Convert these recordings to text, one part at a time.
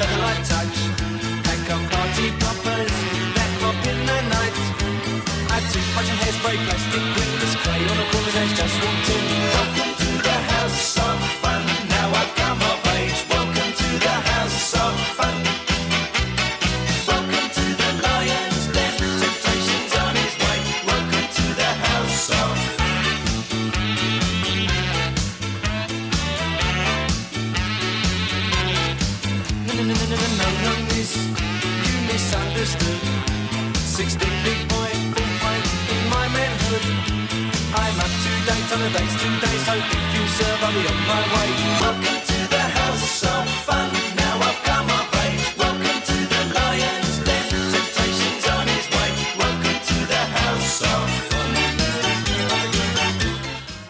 the light touch. Pack up party poppers that pop in the night. Add toothbrush and hairspray, plastic wheelers, clay on a corner's edge, just walked in. Welcome to the house of fun. Now I've come of age. Welcome to the house of fun. Welcome to the lion's den. Temptation's on his way. Welcome to the house of No, miss, you misunderstood. 16 big boy, full fight in my manhood. I'm up to date on the dates today, so if you serve, I'll be on my way. Welcome to the house of fun. Now I've come of age. Welcome to the lion's den. Temptation's on his way. Welcome to the house of fun.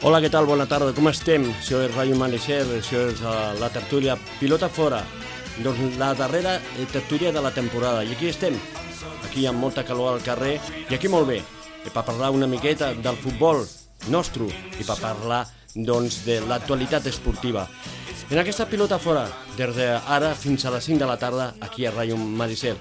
Hola, què tal? Bona tarda, com estem? Això és Ràdio Manecer, això és la tertúlia Pilota Fora. Doncs la darrera tertúlia de la temporada. I aquí estem, aquí amb molta calor al carrer, i aquí molt bé, per parlar una miqueta del futbol nostre i per parlar doncs, de l'actualitat esportiva. En aquesta Pilota Fora, des d'ara fins a les 5 de la tarda, aquí a Ràdio Manecer.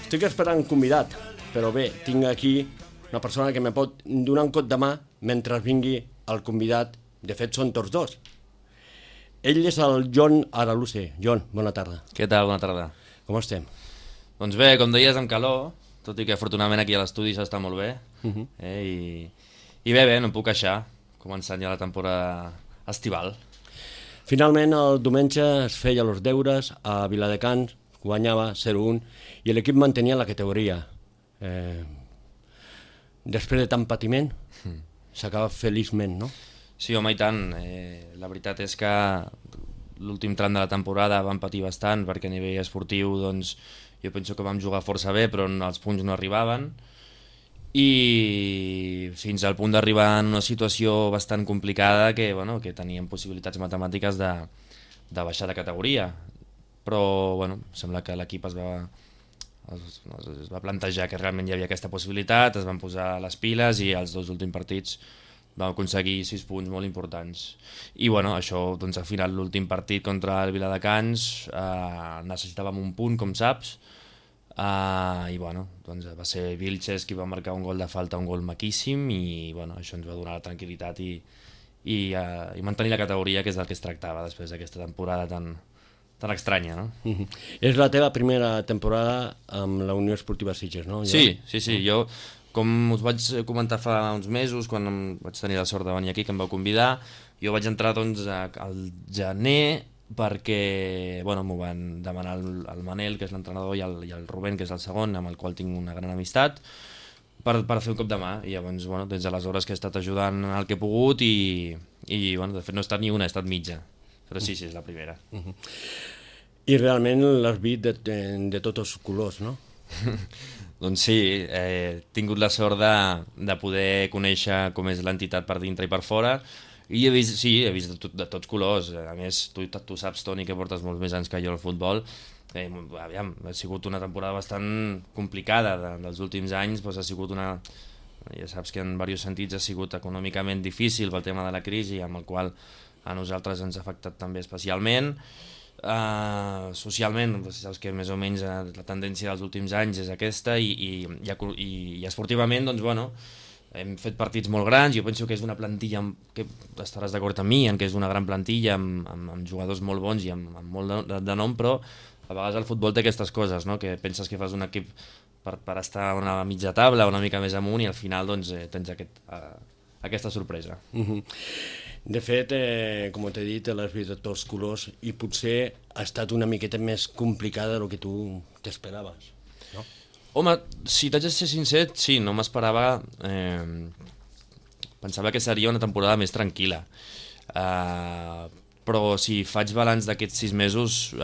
Estic esperant un convidat, però bé, tinc aquí una persona que me pot donar un cop de mà mentre vingui el convidat. De fet, són tots dos. Ell és el Jon Araluce. Jon, bona tarda. Què tal? Bona tarda. Com estem? Doncs bé, com deies, amb calor, tot i que afortunadament aquí a l'estudi s'està molt bé. I bé, no em puc queixar, començant ja la temporada estival. Finalment, el diumenge es feia els deures a Viladecans, guanyava 0-1, i l'equip mantenia la categoria. Després de tant patiment, s'acaba feliçment, no? Sí, home, i tant. La veritat és que l'últim tram de la temporada vam patir bastant, perquè a nivell esportiu doncs, jo penso que vam jugar força bé, però els punts no arribaven, i fins al punt d'arribar en una situació bastant complicada que, bueno, que teníem possibilitats matemàtiques de baixar de categoria. Però bueno, sembla que l'equip es va plantejar que realment hi havia aquesta possibilitat, es van posar les piles i els dos últims partits vam aconseguir 6 punts molt importants. I bueno, això, doncs al final l'últim partit contra el Viladecans necessitàvem un punt, com saps, i bueno, doncs va ser Vilches qui va marcar un gol de falta, un gol maquíssim, i bueno, això ens va donar la tranquil·litat i mantenir la categoria, que és del que es tractava després d'aquesta temporada tan estranya, no? És la teva primera temporada amb la Unió Esportiva Sitges, no? Sí, jo, com us vaig comentar fa uns mesos, quan vaig tenir la sort de venir aquí, que em vau convidar, jo vaig entrar doncs al gener perquè bueno, m'ho van demanar el Manel, que és l'entrenador, i el Rubén, que és el segon, amb el qual tinc una gran amistat, per fer un cop de mà. I llavors, bueno, des d'aleshores que he estat ajudant el que he pogut i bueno, de fet no he estat ni una, he estat mitja. Però sí, és la primera. I realment l'has vist de tots els colors, no? Doncs sí, he tingut la sort de poder conèixer com és l'entitat per dintre i per fora, i he vist de tots colors. A més, tu saps, Toni, que portes molts més anys que jo al futbol. Ha sigut una temporada bastant complicada dels últims anys, doncs ha sigut ja saps que en diversos sentits ha sigut econòmicament difícil pel tema de la crisi, amb el qual a nosaltres ens ha afectat també especialment. Socialment, saps que més o menys la tendència dels últims anys és aquesta, i esportivament, doncs bueno, hem fet partits molt grans. Jo penso que és una plantilla que estaràs d'acord amb mi, en què és una gran plantilla amb jugadors molt bons i amb molt de nom, però a vegades el futbol té aquestes coses, no? Que penses que fas un equip per estar a una mitja taula, una mica més amunt, i al final doncs, tens aquesta sorpresa. De fet, com t'he dit, l'has vist de tots colors, i potser ha estat una miqueta més complicada del que tu t'esperaves, no? Home, si t'haig de ser sincer, sí, no m'esperava. Pensava que seria una temporada més tranquil·la. Però si faig balanç d'aquests 6 mesos,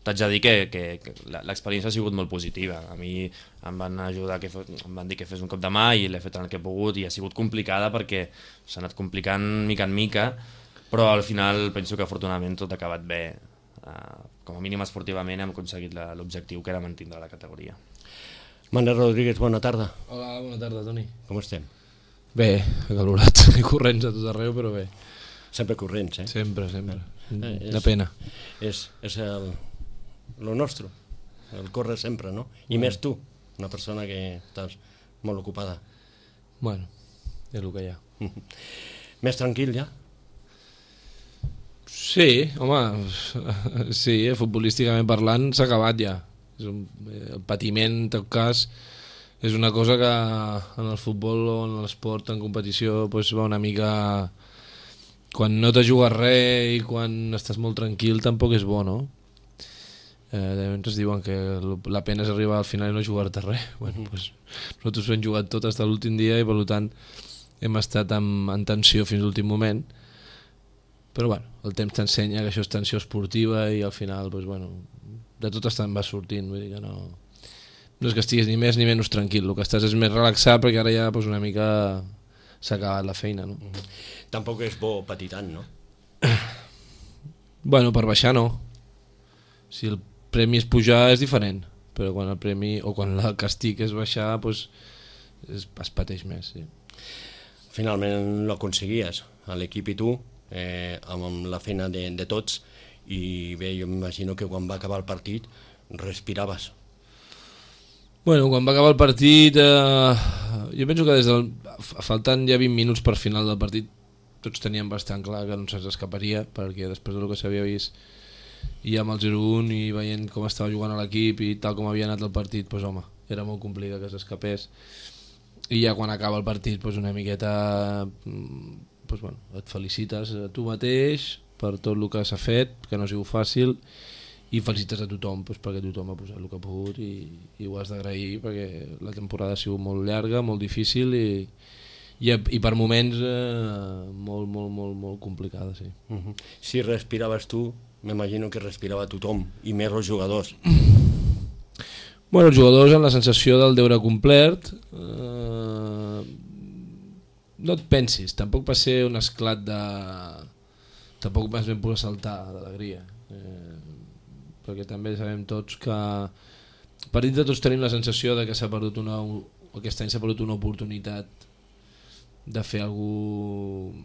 t'haig de dir que l'experiència ha sigut molt positiva. A mi em van ajudar, em van dir que fes un cop de mà, i l'he fet en el que he pogut, i ha sigut complicada perquè s'ha anat complicant mica en mica, però al final penso que afortunadament tot ha acabat bé. Com a mínim esportivament hem aconseguit l'objectiu, que era mantindre la categoria. Manel Rodríguez, bona tarda. Hola, bona tarda, Toni. Com estem? Bé, acalorats i corrents a tot arreu, però bé. Sempre corrents, eh? Sempre. De pena. És lo nostre, el córrer sempre, no? I més tu, una persona que estàs molt ocupada. Bueno, és el que hi ha. Més tranquil ja? Sí, home, sí, futbolísticament parlant s'ha acabat ja. El patiment, en tot cas, és una cosa que en el futbol o en l'esport, en competició, doncs va una mica... Quan no te jugues res i quan estàs molt tranquil tampoc és bo, no? Ens diuen que la pena és arribar al final i no jugar-te res. Bueno, doncs nosaltres hem jugat tot fins a l'últim dia i per tant hem estat en tensió fins a l'últim moment. Però bueno, el temps t'ensenya que això és tensió esportiva i al final doncs, bueno, de tot te'n vas sortint, vull dir que no és que estiguis ni més ni menys tranquil, el que estàs és més relaxat perquè ara ja doncs, una mica s'ha acabat la feina, no? Tampoc és bo patir tant, no? Bueno, per baixar no. Si el premi és pujar és diferent, però quan el premi o quan el castig és baixar doncs es pateix més, sí. Finalment ho aconseguies, l'equip i tu, amb la feina de tots, i bé, jo m'imagino que quan va acabar el partit respiraves. Bueno, quan va acabar el partit, jo penso que faltant ja 20 minuts per final del partit tots teníem bastant clar que no se'ns escaparia, perquè després del que s'havia vist i amb el 0-1 i veient com estava jugant a l'equip i tal com havia anat el partit, doncs home, era molt complicat que s'escapés. I ja quan acaba el partit doncs una miqueta doncs, bueno, et felicites a tu mateix per tot el que s'ha fet, que no ha sigut fàcil, i felicites a tothom doncs, perquè tothom ha posat el que ha pogut i ho has d'agrair perquè la temporada ha sigut molt llarga, molt difícil i per moments molt complicada, sí. Si respiraves tu, m'imagino que respirava tothom, i més els jugadors. Bueno, els jugadors amb la sensació del deure complert, no et pensis, tampoc va ser un esclat de... Tampoc vas ben posar a saltar d'alegria, perquè també sabem tots que per dintre tots tenim la sensació de que s'ha perdut aquest any s'ha perdut una oportunitat de fer algú,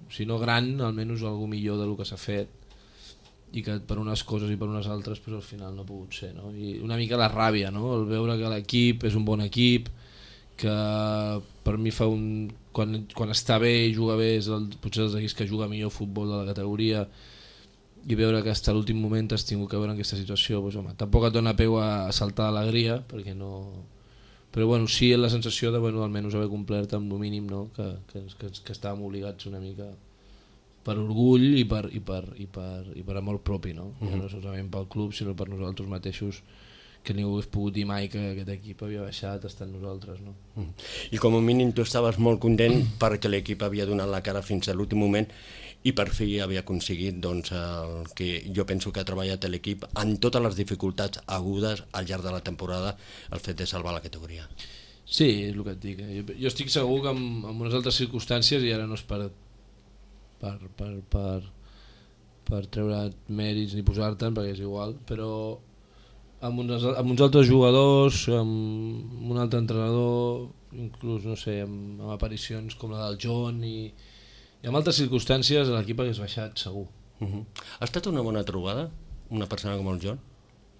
si no gran, almenys algú millor del que s'ha fet, i que per unes coses i per unes altres pues, al final no ha pogut ser, no? I una mica la ràbia, no? El veure que l'equip és un bon equip, que per mi fa quan està bé i juga bé és potser dels equips que juga millor futbol de la categoria, i veure que fins a l'últim moment has tingut que veure en aquesta situació, pues, home, tampoc et dona peu a saltar d'alegria, perquè no... Però bueno, sí la sensació de bueno, almenys haver complert amb el mínim, no? que estàvem obligats una mica per orgull i per amor propi, no? Ja no solament pel club sinó per nosaltres mateixos, que ningú hagués pogut dir mai que aquest equip havia baixat estant nosaltres, no? I com a mínim tu estaves molt content perquè l'equip havia donat la cara fins a l'últim moment i per fi havia aconseguit doncs, el que jo penso que ha treballat l'equip en totes les dificultats agudes al llarg de la temporada, el fet de salvar la categoria. Sí, és el que et dic. Jo estic segur que en unes altres circumstàncies, i ara no és per treure mèrits ni posar-te'n, perquè és igual, però amb uns altres jugadors, amb un altre entrenador, inclús no sé, amb aparicions com la del John i amb altres circumstàncies l'equip hagués baixat segur. Ha estat una bona trobada una persona com el John?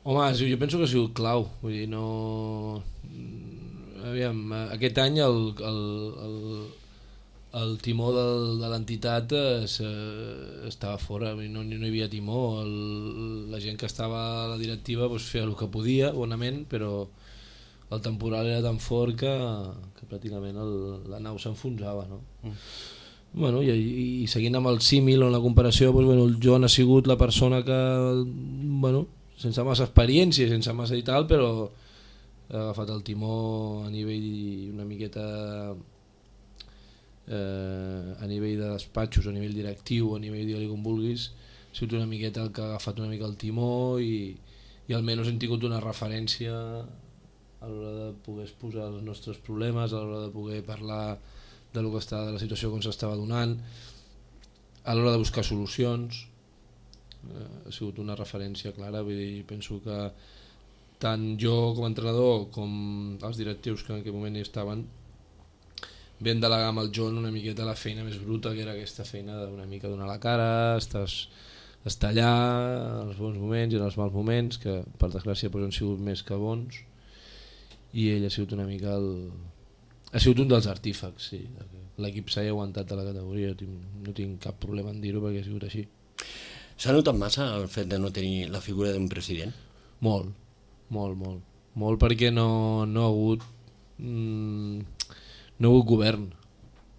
Home, jo penso que ha sigut clau, vull dir, no... Aviam, aquest any el timó de l'entitat estava fora, no hi havia timó, la gent que estava a la directiva doncs, feia el que podia, bonament, però el temporal era tan fort que pràcticament la nau s'enfonsava, no? Bueno, i seguint amb el símil o la comparació, doncs, bueno, el Joan ha sigut la persona que, bueno, sense massa experiència, sense massa i tal, però ha agafat el timó a nivell una miqueta a nivell de despatxos, a nivell directiu, a nivell digue-li com vulguis, ha sigut una miqueta el que ha agafat una mica el timó i almenys hem tingut una referència a l'hora de poder exposar els nostres problemes, a l'hora de poder parlar de la situació com s'estava donant, a l'hora de buscar solucions. Ha sigut una referència clara, vull dir, penso que tant jo com a entrenador com els directius que en aquell moment hi estaven vam delegar amb el John una miqueta la feina més bruta, que era aquesta feina d'una mica donar la cara, estàs estar allà en els bons moments i en els mals moments, que per desgràcia han sigut més que bons, i ell ha sigut una mica ha sigut un dels artífecs, sí. L'equip s'ha aguantat a la categoria, no tinc cap problema en dir-ho perquè ha sigut així. S'ha notat massa el fet de no tenir la figura d'un president? Molt perquè no ha hagut govern.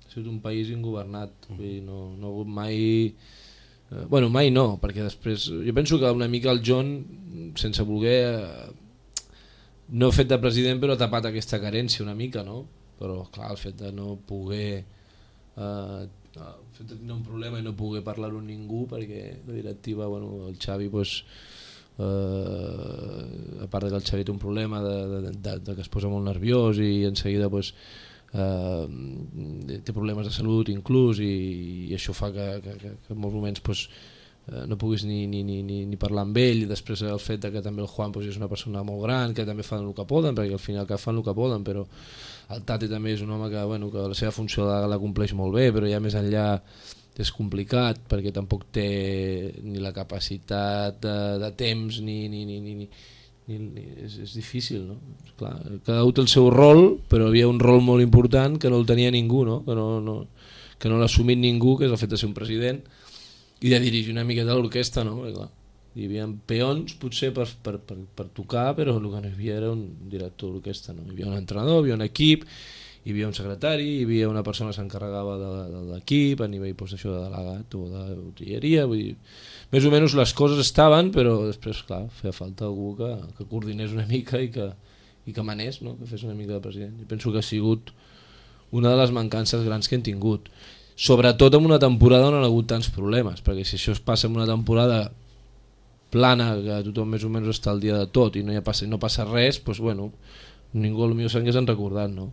Ha sigut un país ingovernat, vull dir, no ha hagut mai... mai no, perquè després jo penso que una mica el John, sense voler, no ha fet de president però ha tapat aquesta carència una mica, no? Però clar, el fet de no poder el fet de tenir un problema i no poder parlar-ho amb ningú, perquè la directiva, el Xavi a part que el Xavi té un problema de que es posa molt nerviós i en seguida té problemes de salut inclús, i això fa que en molts moments no puguis ni parlar amb ell, i després el fet que també el Juan és una persona molt gran, que també fan el que poden, perquè al final fan el que poden, però el Tati també és un home que la seva funció la compleix molt bé, però ja més enllà és complicat perquè tampoc té ni la capacitat de temps és difícil, no? Clar, cada un té el seu rol, però havia un rol molt important que no el tenia ningú, no? Que no l'ha assumit ningú, que és el fet de ser un president i de dirigir una miqueta l'orquestra, no? Perquè, clar, hi havia peons potser per tocar, però el que no hi havia era un director d'orquestra, no? Hi havia un entrenador, hi havia un equip, hi havia un secretari, hi havia una persona que s'encarregava de l'equip a nivell d'això de delegat o de botilleria, vull dir, més o menys les coses estaven, però després clar, feia falta algú que coordinés una mica i que manés, no? Que fes una mica de president. Jo penso que ha sigut una de les mancances grans que hem tingut, sobretot en una temporada on hi ha hagut tants problemes, perquè si això es passa en una temporada plana, que tothom més o menys està al dia de tot i no passa res, doncs ningú potser s'hagués recordat, no?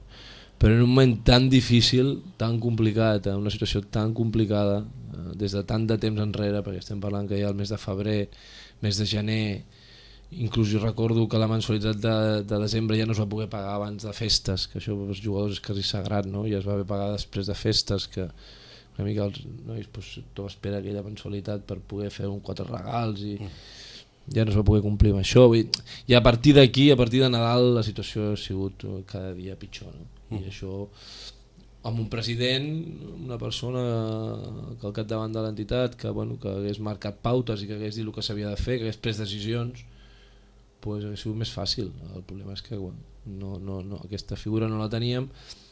Però en un moment tan difícil, tan complicat, en una situació tan complicada, des de tant de temps enrere, perquè estem parlant que ja el mes de febrer, mes de gener, inclús jo recordo que la mensualitat de desembre ja no es va poder pagar abans de festes, que això pels jugadors és quasi sagrat, no? Ja es va haver pagar després de festes, que una mica els nois tothom espera aquella mensualitat per poder fer 4 regals i ja no es va poder complir amb això. I a partir d'aquí, a partir de Nadal, la situació ha sigut cada dia pitjor, no? I això amb un president, una persona que al capdavant de l'entitat que hagués marcat pautes i que hagués dit el que s'havia de fer, que hagués pres decisions, doncs hauria sigut més fàcil. El problema és que aquesta figura no la teníem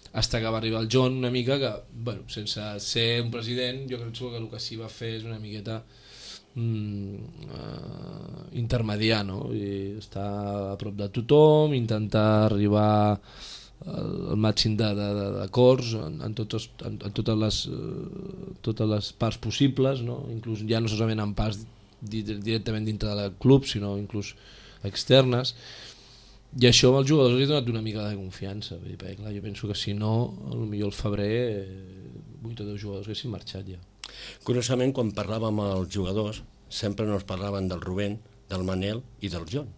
fins que va arribar el John, una mica que sense ser un president jo crec que el que sí va fer és una miqueta intermediar, no? I estar a prop de tothom, intentar arribar el màxim d'acords en totes les parts possibles, no? Inclús ja no solament en parts directament dintre del club, sinó inclús externes, i això als jugadors els ha donat una mica de confiança, perquè clar, jo penso que si no, potser al febrer 8 o 10 jugadors haguessin marxat ja. Curiosament, quan parlàvem amb els jugadors sempre nos parlaven del Rubén, del Manel i del John.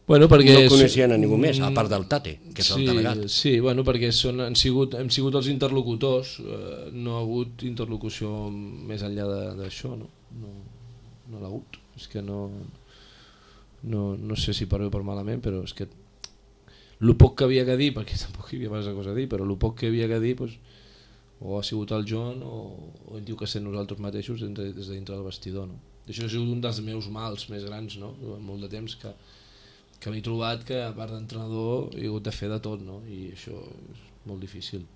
Perquè no coneixien a ningú més, a part del Tate, que és el delegat. Sí, perquè hem sigut els interlocutors, no ha hagut interlocució més enllà d'això, no l'ha hagut. És que no sé si per bé o per malament, però és que el poc que havia que dir, perquè tampoc hi havia massa cosa a dir, però el poc que havia que dir o ha sigut el John o hem dit que ser nosaltres mateixos des de dintre del vestidor, no? Això ha sigut un dels meus mals més grans, no? Durant molt de temps que m'he trobat que a part d'entrenador he hagut de fer de tot, no? I això és molt difícil.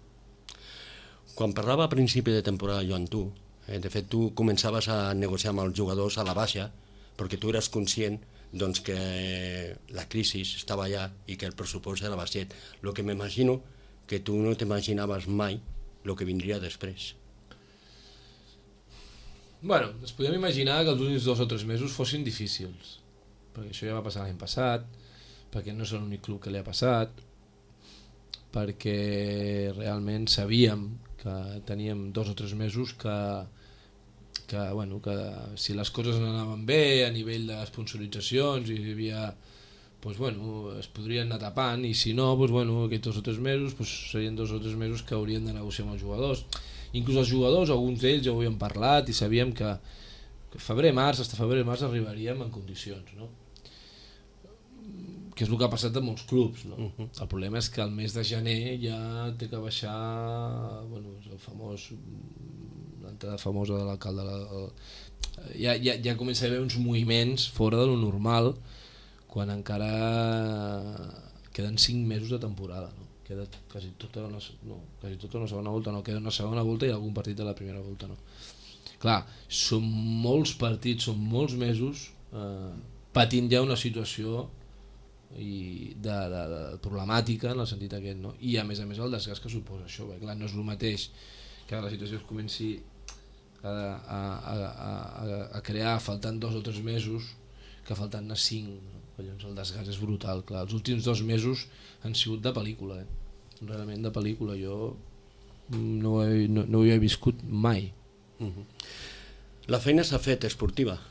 Quan parlava a principi de temporada jo amb tu, de fet tu començaves a negociar amb els jugadors a la baixa perquè tu eres conscient que la crisi estava allà i que el pressupost era baixet. El que m'imagino que tu no t'imaginaves mai el que vindria després. Ens podíem imaginar que els últims 2 o 3 mesos fossin difícils, perquè això ja va passar l'any passat, perquè no és l'únic club que li ha passat, perquè realment sabíem que teníem 2 o 3 mesos que si les coses no anaven bé a nivell de sponsoritzacions i hi havia, es podrien anar tapant, i si no, aquests 2 o 3 mesos serien 2 o 3 mesos que haurien de negociar amb els jugadors. Inclús els jugadors, alguns d'ells ja ho havien parlat i sabíem que febrer-març, fins febrer-març arribaríem en condicions, no? Que és el que ha passat a molts clubs, no? El problema és que el mes de gener ja té que baixar, bueno, el famós, l'entrada famosa de l'alcalde, ja comença a haver uns moviments fora de lo normal quan encara queden 5 mesos de temporada, no? Queda quasi tota una segona volta, no, queda una segona volta i algun partit de la primera volta, no? Clar, són molts partits, són molts mesos patint ja una situació de problemàtica en el sentit aquest, no? I a més el desgast que suposa això, perquè clar, no és el mateix que la situació es comenci a crear faltant 2 o 3 mesos que faltant 5, no? Llavors el desgast és brutal, clar. Els últims 2 mesos han sigut de pel·lícula, realment de pel·lícula. Jo no ho he viscut mai. La feina s'ha fet esportiva,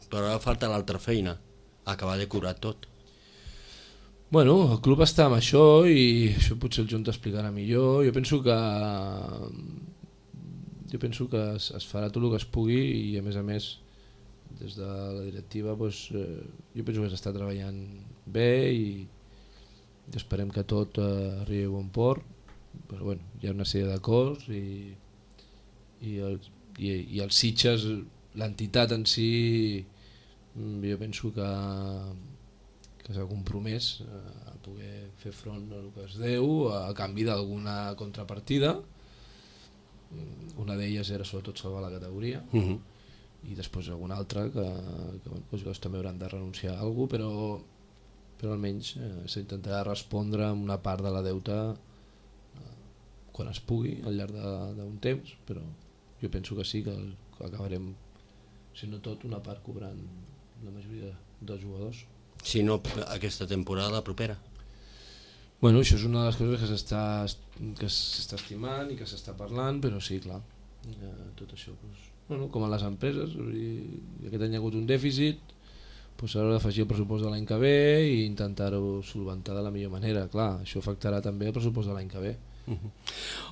però ara falta l'altra feina, acabar de curar tot. Bueno, el club està amb això i això potser el Joan t'explicarà millor. Jo penso que es farà tot el que es pugui i a més des de la directiva doncs, jo penso que s'està treballant bé i esperem que tot arribi a bon port, però bueno, hi ha una sèrie d'acords i els Sitges, l'entitat en si, jo penso que s'ha compromès a poder fer front al que es deu a canvi d'alguna contrapartida. Una d'elles era sobretot salvar la categoria i després alguna altra que també hauran de renunciar a alguna cosa, però almenys s'intentarà respondre amb una part de la deuta quan es pugui al llarg d'un temps, però jo penso que sí, que acabarem, si no tot, una part cobrant la majoria dels jugadors. Si no aquesta temporada, la propera. Bueno, això és una de les coses que s'està estimant i que s'està parlant, però sí, clar, tot això, bueno, com a les empreses, aquest any hi ha hagut un dèficit, s'haurà d'afegir el pressupost de l'any que ve i intentar-ho solventar de la millor manera. Clar, això afectarà també el pressupost de l'any que ve.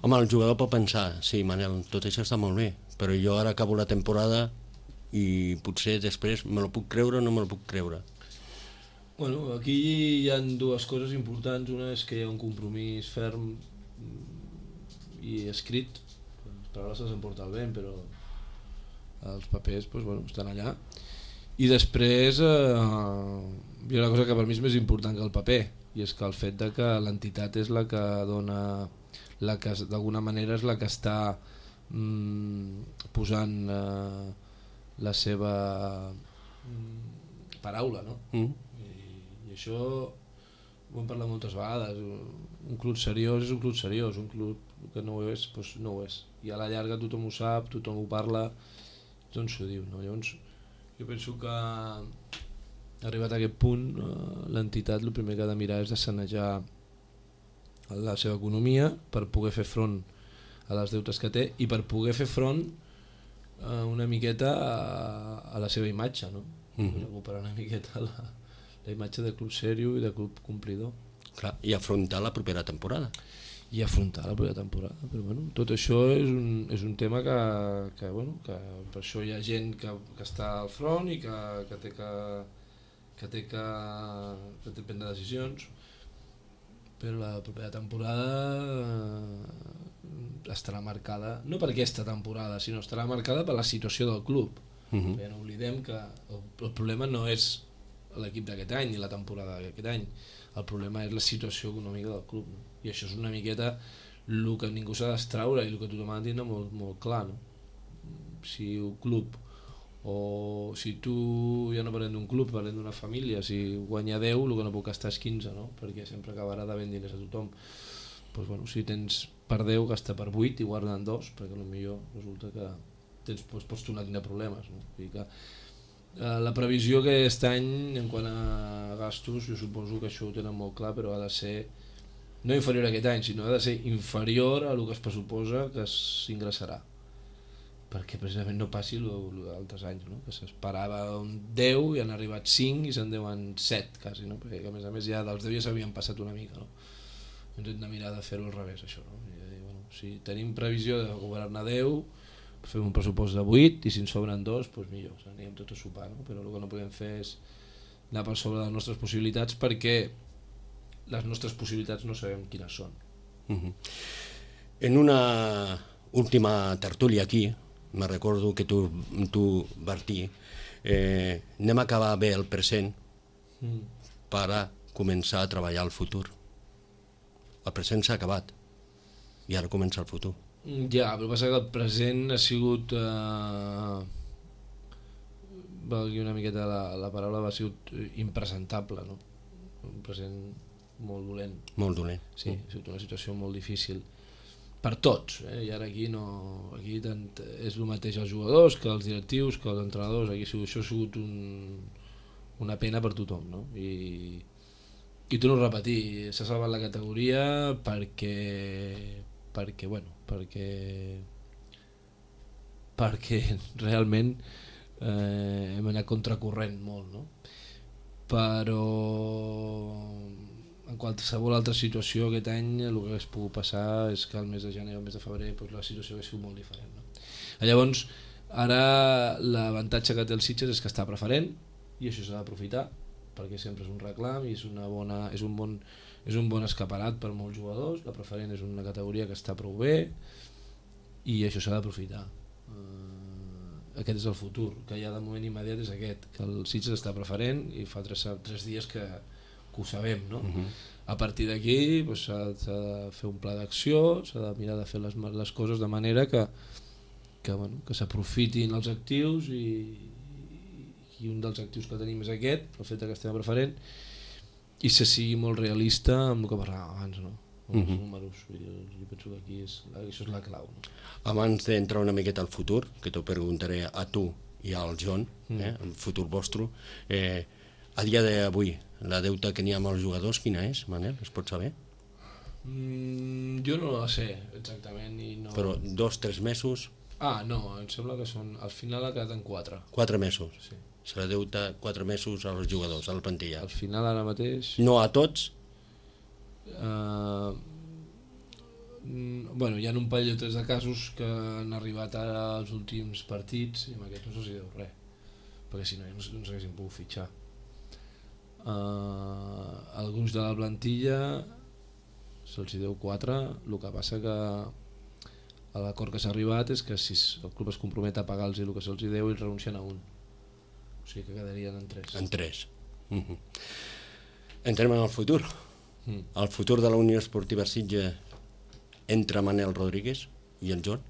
Home, el jugador pot pensar, sí, Manel, tot això està molt bé, però jo ara acabo la temporada i potser després me lo puc creure o no me lo puc creure. Bueno, aquí hi ha 2 coses importants. Una és que hi ha un compromís ferm i escrit. Les paraules s'emporta el vent, però els papers estan allà. I després hi ha una cosa que per mi és més important que el paper, i és que el fet de que l'entitat és la que dona, la que d'alguna manera és la que està posant la seva paraula, no? I això ho hem parlat moltes vegades. Un club seriós és un club seriós, un club que no ho és, doncs no ho és, i a la llarga tothom ho sap, tothom ho parla, tothom s'ho diu, no? Llavors jo penso que arribat a aquest punt l'entitat el primer que ha de mirar és de sanejar la seva economia per poder fer front a les deutes que té i per poder fer front una miqueta a la seva imatge, no? Recuperar una miqueta la imatge de club serio i de club complidor. Clar, i afrontar la propera temporada. Però bueno, tot això és un tema que per això hi ha gent que està al front i que té que prendre decisions, però la propera temporada estarà marcada no per aquesta temporada, sinó estarà marcada per la situació del club. Perquè no oblidem que el problema no és l'equip d'aquest any ni la temporada d'aquest any, el problema és la situació econòmica del club, no? I això és una miqueta el que ningú s'ha d'extraure i el que tothom ha de tindre molt clar, no? Si un club, o si tu, ja no parlem d'un club, parlem d'una família, si guanya 10 el que no pot gastar és 15, no? Perquè sempre acabarà devent diners a tothom. Doncs, bueno, si tens per 10 gasta per 8 i guarden 2, perquè potser resulta que pots tornar a tenir problemes, no? Vull dir que la previsió aquest any en quant a gastos, jo suposo que això ho tenen molt clar, però ha de ser no inferior a aquest any, sinó ha de ser inferior a el que es pressuposa que s'ingressarà, perquè precisament no passi el d'altres anys, no? Que s'esperava un 10 i han arribat 5 i se'n deuen 7 quasi, no? Perquè a més ja dels 10 ja s'havien passat una mica, no? Ens hem de mirar de fer-ho al revés, això, no? I dir, bueno, si tenim previsió de cobrar-ne 10, fem un pressupost de 8 i si en sobren 2, doncs millor, anirem tots a sopar, no? Però el que no podem fer és anar per sobre de les nostres possibilitats perquè les nostres possibilitats no sabem quines són. En una última tertúlia aquí, me recordo que tu Bertí, anem a acabar bé el present per a començar a treballar el futur. El present s'ha acabat i ara comença el futur. Ja, però passa que el present ha sigut valgui una miqueta la paraula, ha sigut impresentable, no? Un present molt dolent. Molt dolent. Sí, ha sigut una situació molt difícil per tots, i ara aquí aquí tant és el mateix els jugadors que els directius, que els entrenadors. Aquí això ha sigut una pena per tothom, no? I torno a repetir, s'ha salvat la categoria perquè realment hem anat contracorrent molt, no? Però en qualsevol altra situació aquest any el que hagués pogut passar és que el mes de gener o el mes de febrer la situació hagués sigut molt diferent, no? Llavors ara l'avantatge que té el Sitges és que està preferent i això s'ha d'aprofitar perquè sempre és un reclam i és un bon escaparat per molts jugadors. La preferent és una categoria que està prou bé i això s'ha d'aprofitar. Aquest és el futur, que ja de moment immediat és aquest, que el Sitges està preferent i fa 3 dies que ho sabem, no? A partir d'aquí s'ha de fer un pla d'acció, s'ha de mirar de fer les coses de manera que s'aprofitin els actius i un dels actius que tenim és aquest, el fet que estem preferent, i se sigui molt realista amb el que parlàvem abans, no? Els números. Jo penso que aquí això és la clau, no? Abans d'entrar una miqueta al futur, que t'ho preguntaré a tu i al John, el futur vostre, a dia d'avui, la deuta que n'hi ha amb els jugadors, quina és, Manel? Es pot saber? Jo no la sé exactament. Però 2-3 mesos? No, em sembla que al final ha quedat en 4. 4 mesos? Sí. Se la deuta 4 mesos als jugadors, a la plantilla. Al final ara mateix... No a tots? Hi ha un parell o 3 de casos que han arribat ara als últims partits i amb aquests no se'ls deu res, perquè si no no s'haguessin pogut fitxar. Alguns de la plantilla se'ls deu 4, el que passa que l'acord que s'ha arribat és que si el club es compromet a pagar-los el que se'ls deu, ells renuncien a un, o sigui que quedarien en 3. En 3. Entrem en el futur. El futur de la Unió Esportiva Sitges entre Manel Rodríguez i el John?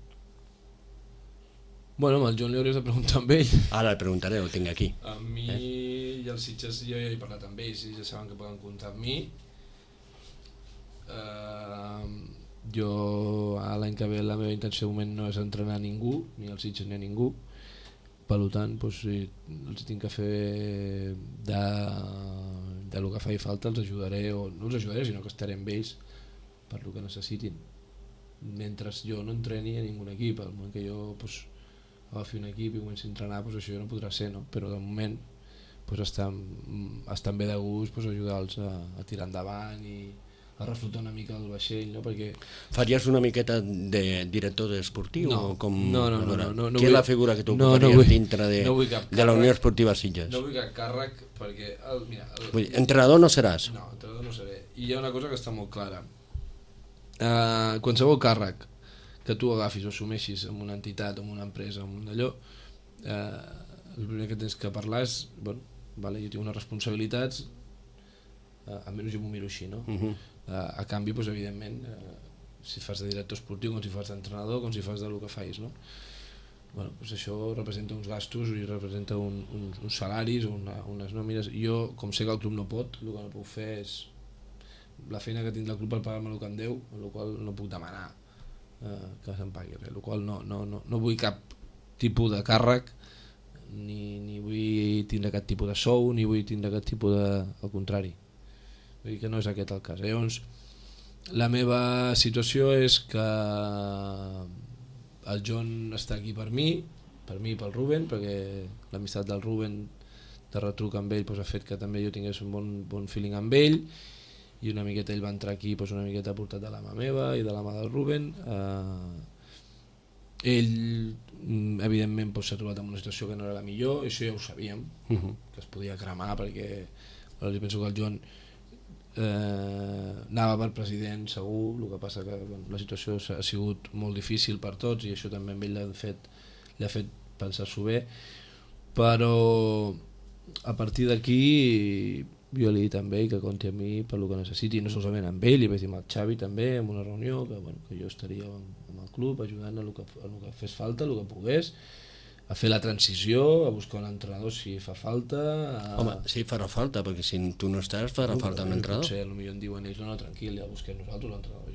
Amb el John li hauries de preguntar amb ell. Ara el preguntaré, ho tinc aquí. A mi i els Sitges jo ja he parlat amb ells i ja saben que poden comptar amb mi. Jo l'any que ve la meva intenció de moment no és entrenar ningú, ni els Sitges ni a ningú, per tant si els tinc que fer de lo que faci falta els ajudaré, o no els ajudaré sinó que estaré amb ells per lo que necessitin mentre jo no entreni a ningun equip. Al moment que jo agafi un equip i comenci a entrenar, això ja no podrà ser, no? Però de moment estan bé de gust ajudar-los a tirar endavant i a reflotar una mica el vaixell, no? Perquè... Faries una miqueta de director esportiu? No. Què és la figura que tu ocuparies dintre de la Unió Esportiva Sitges? No vull cap càrrec perquè... Entrenador no seràs? No, entrenador no seré. I hi ha una cosa que està molt clara. Qualsevol càrrec que tu agafis o assumeixis en una entitat, en una empresa, en un d'allò, el primer que tens que parlar és jo tinc unes responsabilitats, almenys jo m'ho miro així, no? A canvi, evidentment, si fas de director esportiu, com si fas d'entrenador, com si fas del que fais, no? Això representa uns gastos i representa uns salaris o unes nòmines. Jo, com sé que el club no pot, el que no puc fer és la feina que tinc del club per pagar-me el que em deu, el qual no puc demanar que se'm pagui res, el qual no vull cap tipus de càrrec, ni vull tindre cap tipus de sou, ni vull tindre cap tipus de... al contrari, vull dir que no és aquest el cas. Llavors la meva situació és que el John està aquí per mi i pel Ruben, perquè l'amistat del Ruben de retruc amb ell ha fet que també jo tingués un bon feeling amb ell, i una miqueta ell va entrar aquí una miqueta portat de la mà meva i de la mà del Ruben. ell evidentment s'ha trobat en una situació que no era la millor, això ja ho sabíem, que es podia cremar, perquè jo penso que el Joan anava per president segur, el que passa que la situació ha sigut molt difícil per tots i això també a ell l'ha fet pensar-s'ho bé, però a partir d'aquí jo li he dit amb ell que compti amb mi per el que necessiti, no solament amb ell, li vaig dir amb el Xavi també en una reunió que jo estaria amb el club ajudant a el que fes falta, el que pogués, a fer la transició, a buscar un entrenador si fa falta. Home, sí, farà falta, perquè si tu no estàs farà falta un entrenador. Potser potser em diuen ells, no, tranquil, ja busquem nosaltres l'entrenador.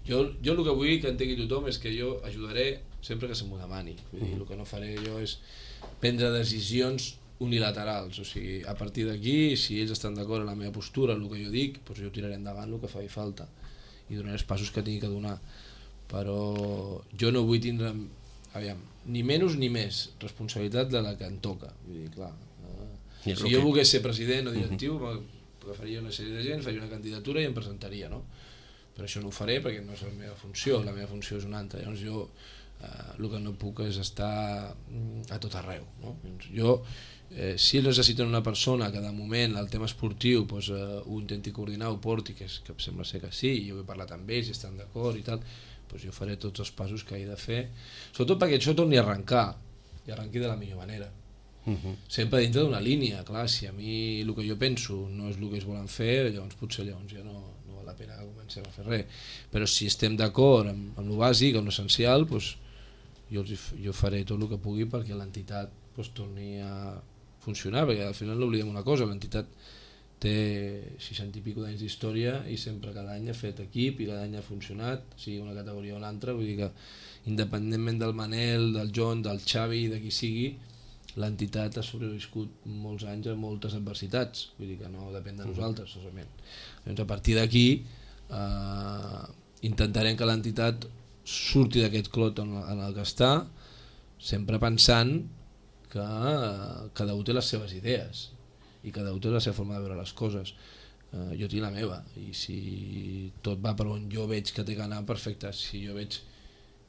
Jo el que vull que entengui tothom és que jo ajudaré sempre que se m'ho demani. Vull dir, el que no faré jo és prendre decisions unilaterals, o sigui, a partir d'aquí, si ells estan d'acord amb la meva postura, el que jo dic, doncs jo tiraré endavant el que faci falta i donaré els passos que tingui que donar, però jo no vull tindre, aviam, ni menys ni més responsabilitat de la que em toca, vull dir, clar, si jo volgués ser president o directiu, agafaria una sèrie de gent, faria una candidatura i em presentaria, no? Però això no ho faré perquè no és la meva funció és una altra, llavors jo el que no puc és estar a tot arreu, no? Jo si ells necessiten una persona que de moment el tema esportiu doncs, ho intenti coordinar, ho porti, que sembla ser que sí, jo he parlat amb ells i estan d'acord i tal, doncs jo faré tots els passos que he de fer, sobretot perquè això torni a arrencar i arrenqui de la millor manera, sempre dintre d'una línia. Clar, si a mi el que jo penso no és el que ells volen fer, llavors potser ja no val la pena que comencem a fer res, però si estem d'acord amb el bàsic, amb l'essencial, doncs jo faré tot el que pugui perquè l'entitat torni a funcionar, perquè al final no oblidem una cosa, l'entitat té 60 i pico d'anys d'història i sempre cada any ha fet equip i cada any ha funcionat, sigui una categoria o una altra, vull dir que independentment del Manel, del John, del Xavi, de qui sigui, l'entitat ha sobreviscut molts anys a moltes adversitats, vull dir que no depèn de nosaltres solament. Doncs a partir d'aquí intentarem que l'entitat surti d'aquest clot en el que està, sempre pensant que cada un té les seves idees i cada un té la seva forma de veure les coses. Jo tinc la meva i si tot va per on jo veig que té que anar, perfecte. Si jo veig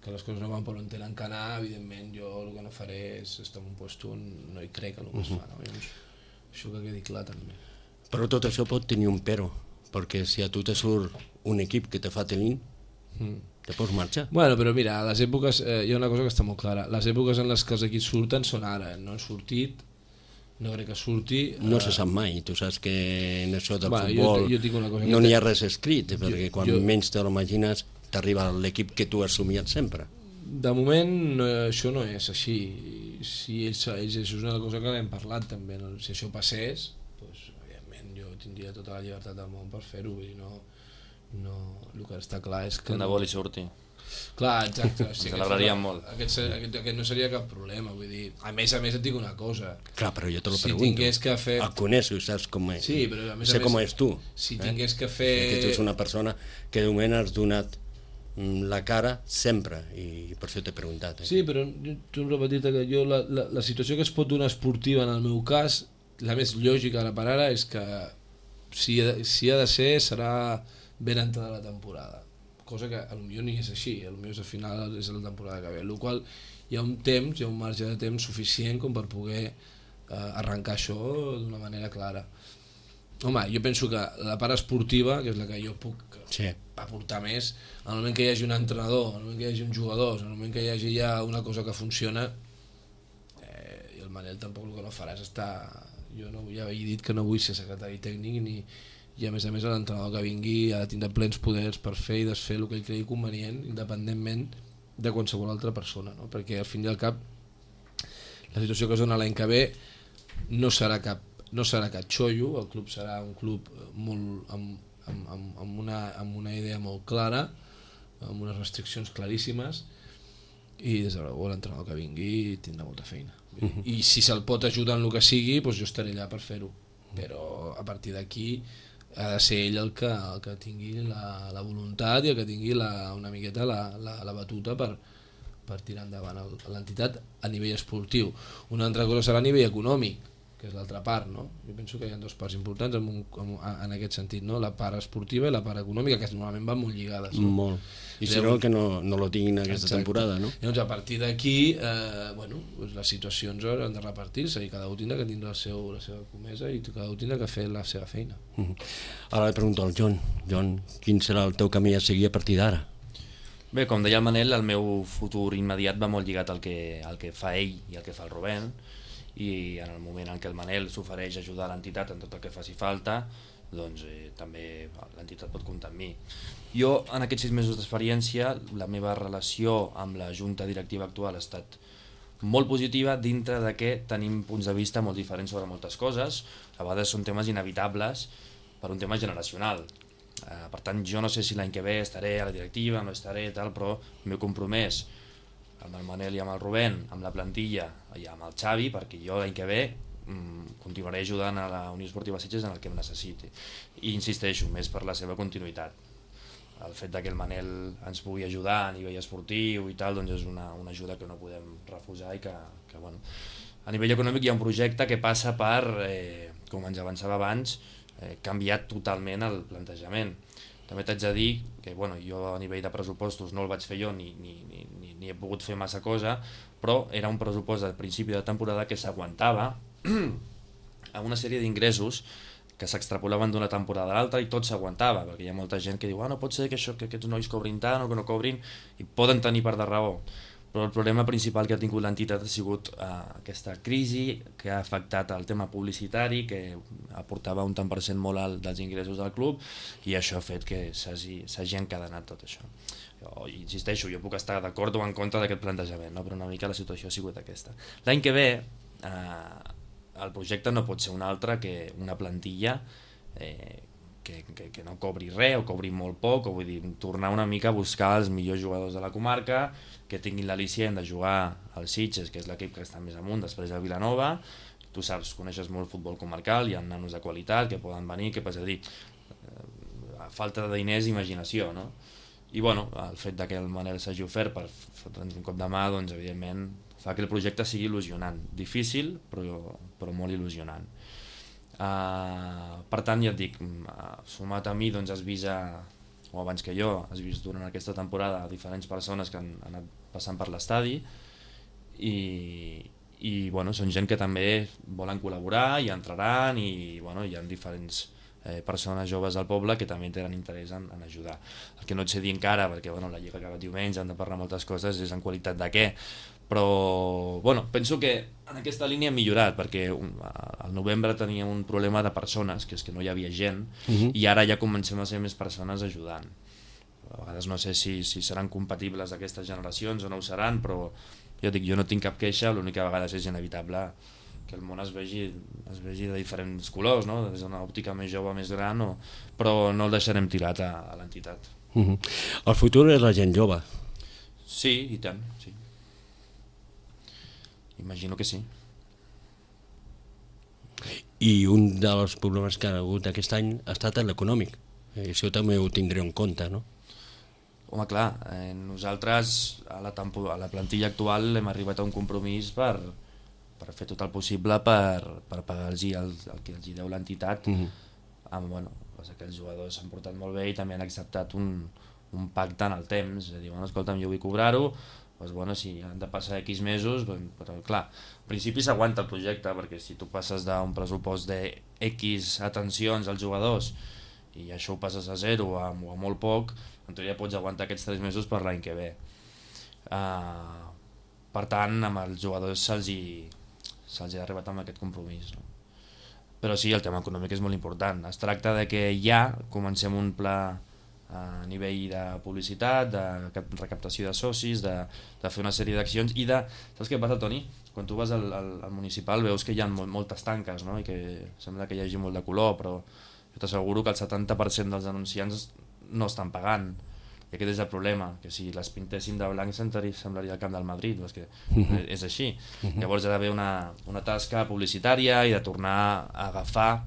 que les coses no van per on tenen que anar, evidentment jo el que no faré és estar en un lloc on no hi crec el que es fa, no? Llavors, això que quedi clar també. Però tot això pot tenir un però, perquè si a tu te surt un equip que te fa tenint, te pots marxar. Bueno, però mira, a les èpoques hi ha una cosa que està molt clara, les èpoques en les que els equips surten són ara, no han sortit, no crec que surti. No se sap mai, tu saps que en això del futbol jo dic una cosa no n'hi ha res escrit, perquè quan menys te l'imagines t'arriba l'equip que tu has somiat sempre. De moment això no és així, si això és una cosa que l'hem parlat també, no? Si això passés, doncs, evidentment jo tindria tota la llibertat del món per fer-ho, vull dir, el que està clar és que... Que de vol i surti. Clar, exacte. Sí, celebraríem molt. Aquest no seria cap problema, vull dir, a més et dic una cosa. Clar, però jo te lo pregunto. Si tingués que fer... El coneixo, saps com és. Sí, però a més sé com és tu. Si tingués que fer... Que tu ets una persona que de moment has donat la cara sempre i per això t'he preguntat. Sí, però tu hem repetit que jo la situació que es pot donar esportiva en el meu cas, la més lògica ara per ara és que si ha de ser serà ben entrada la temporada, cosa que potser ni és així, potser al final és la temporada que ve, amb la qual hi ha un temps, hi ha un marge de temps suficient com per poder arrencar això d'una manera clara. Home, jo penso que la part esportiva, que és la que jo puc aportar més, en el moment que hi hagi un entrenador, en el moment que hi hagi uns jugadors, en el moment que hi hagi ja una cosa que funciona, i el Manel tampoc el que no farà és estar... Jo ja he dit que no vull ser secretari tècnic i a més l'entrenador que vingui ha de tindre plens poders per fer i desfer el que ell cregui convenient, independentment de qualsevol altra persona, no? Perquè al fin i al cap la situació que es dona l'any que ve no serà cap xollo, el club serà un club molt amb una idea molt clara, amb unes restriccions claríssimes, i des de l'entrenador que vingui tindrà molta feina. I si se'l pot ajudar en el que sigui, doncs jo estaré allà per fer-ho, però a partir d'aquí ha de ser ell el que tingui la voluntat i el que tingui una miqueta la batuta per tirar endavant l'entitat a nivell esportiu. Una altra cosa serà a nivell econòmic, que és l'altra part, no? Jo penso que hi ha dues parts importants en aquest sentit, no? La part esportiva i la part econòmica, que normalment van molt lligades. No? Molt. I si no, que no lo tinguin aquesta temporada, no? Llavors, a partir d'aquí, les situacions han de repartir-se i cada un tindrà que tindre la seva comesa i cada un tindrà que fer la seva feina. Ara li pregunto al Jon. Jon, quin serà el teu camí a seguir a partir d'ara? Bé, com deia el Manel, el meu futur immediat va molt lligat al que fa ell i al que fa el Rubén, i en el moment en què el Manel s'ofereix a ajudar l'entitat en tot el que faci falta, doncs també l'entitat pot comptar amb mi. Jo, en aquests 6 mesos d'experiència, la meva relació amb la junta directiva actual ha estat molt positiva, dintre de que tenim punts de vista molt diferents sobre moltes coses. A vegades són temes inevitables per un tema generacional. Per tant, jo no sé si l'any que ve estaré a la directiva, no estaré, tal, però el meu compromès amb el Manel i amb el Rubén, amb la plantilla i amb el Xavi, perquè jo l'any que ve continuaré ajudant a la Unió Esportiva Sitges en el que em necessiti. I insisteixo, més per la seva continuïtat. El fet que el Manel ens pugui ajudar a nivell esportiu i tal, doncs és una ajuda que no podem refusar i que bueno, a nivell econòmic hi ha un projecte que passa per, com ens avançava abans, canviar totalment el plantejament. També t'haig de dir que bueno, jo a nivell de pressupostos no el vaig fer jo ni he pogut fer massa cosa, però era un pressupost al principi de temporada que s'aguantava a una sèrie d'ingressos que s'extrapolaven d'una temporada a l'altra i tot s'aguantava, perquè hi ha molta gent que diu no pot ser que aquests nois cobrin tant o que no cobrin, i poden tenir part de raó, però el problema principal que ha tingut l'entitat ha sigut aquesta crisi que ha afectat el tema publicitari, que aportava un tant per cent molt alt dels ingressos del club, i això ha fet que s'hagi encadenat tot això. Jo insisteixo, jo puc estar d'acord o en contra d'aquest plantejament, no? Però una mica la situació ha sigut aquesta. L'any que ve el projecte no pot ser un altre que una plantilla que no cobri res o cobri molt poc, o vull dir, tornar una mica a buscar els millors jugadors de la comarca, que tinguin l'al·licient de jugar al Sitges, que és l'equip que està més amunt, després al Vilanova. Tu saps, coneixes molt futbol comarcal, hi ha nanos de qualitat que poden venir, que passa a dir, a falta de diners, imaginació, no? I bueno, el fet que el Manel s'hagi ofert per fotre'ns un cop de mà, doncs evidentment fa que el projecte sigui il·lusionant, difícil però molt il·lusionant. Per tant, ja et dic, sumat a mi doncs has vist, o abans que jo, has vist durant aquesta temporada diferents persones que han anat passant per l'estadi i bueno, són gent que també volen col·laborar i entraran i bueno, hi ha diferents persones joves del poble que també tenen interès en ajudar. El que no et sé dir encara, perquè bueno, la Lliga acaba diumenge, han de parlar moltes coses, és en qualitat de què, però bueno, penso que en aquesta línia hem millorat, perquè al novembre teníem un problema de persones, que és que no hi havia gent, i ara ja comencem a ser més persones ajudant. A vegades no sé si seran compatibles aquestes generacions o no ho seran, però jo dic, jo no tinc cap queixa, l'única vegada és inevitable que el món es vegi de diferents colors, no? Des d'una òptica més jove, més gran, però no el deixarem tirat a l'entitat. El futur és la gent jove. Sí, i tant, sí. Imagino que sí. I un dels problemes que ha hagut aquest any ha estat l'econòmic. Això també ho tindré en compte, no? Home, clar, nosaltres a la plantilla actual hem arribat a un compromís per fer tot el possible per pagar-los el que els deu l'entitat. Bueno, que els jugadors s'han portat molt bé i també han acceptat un pacte en el temps, és a dir, bueno, escolta'm, jo vull cobrar-ho, doncs, bueno, si han de passar X mesos, però clar, al principi s'aguanta el projecte, perquè si tu passes d'un pressupost de X atencions als jugadors i això ho passes a 0 o a molt poc, en teoria pots aguantar aquests 3 mesos per l'any que ve. Per tant, amb els jugadors se'ls ha arribat amb aquest compromís, no? Però sí, el tema econòmic és molt important. Es tracta de que ja comencem un pla a nivell de publicitat, de recaptació de socis, de fer una sèrie d'accions i de... Saps què passa, Toni? Quan tu vas al municipal veus que hi ha moltes tanques, no? I que sembla que hi hagi molt de color, però jo t'asseguro que el 70% dels anunciants no estan pagant. I aquest és el problema, que si les pintéssim de blanc semblaria el camp del Madrid, és que és així. Llavors hi ha d'haver una tasca publicitària i de tornar a agafar,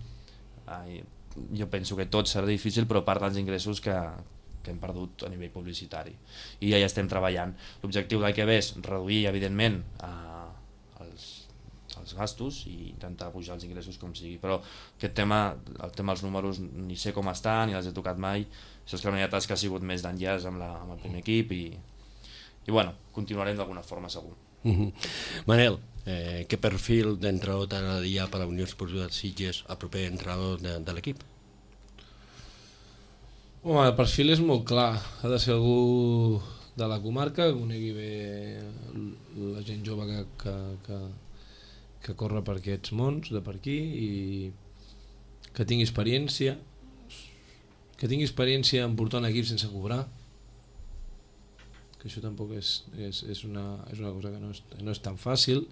jo penso que tot serà difícil, però part dels ingressos que hem perdut a nivell publicitari. I ja hi estem treballant. L'objectiu del que ve és reduir, evidentment, els els gastos i intentar pujar els ingressos com sigui, però aquest tema, el tema dels números ni sé com estan, ni els he tocat mai. Això és que la meva tasca ha sigut més d'enllaç amb el primer equip i bueno, continuarem d'alguna forma segur. Manel, què perfil d'entrenador t'agradaria per a la Unió Esportiva de Sitges, el proper entrenador de l'equip? Home, el perfil és molt clar, ha de ser algú de la comarca, que conegui bé la gent jove que corre per aquests mons de per aquí i que tingui experiència en portar un equip sense cobrar, que això tampoc és una cosa que no és tan fàcil,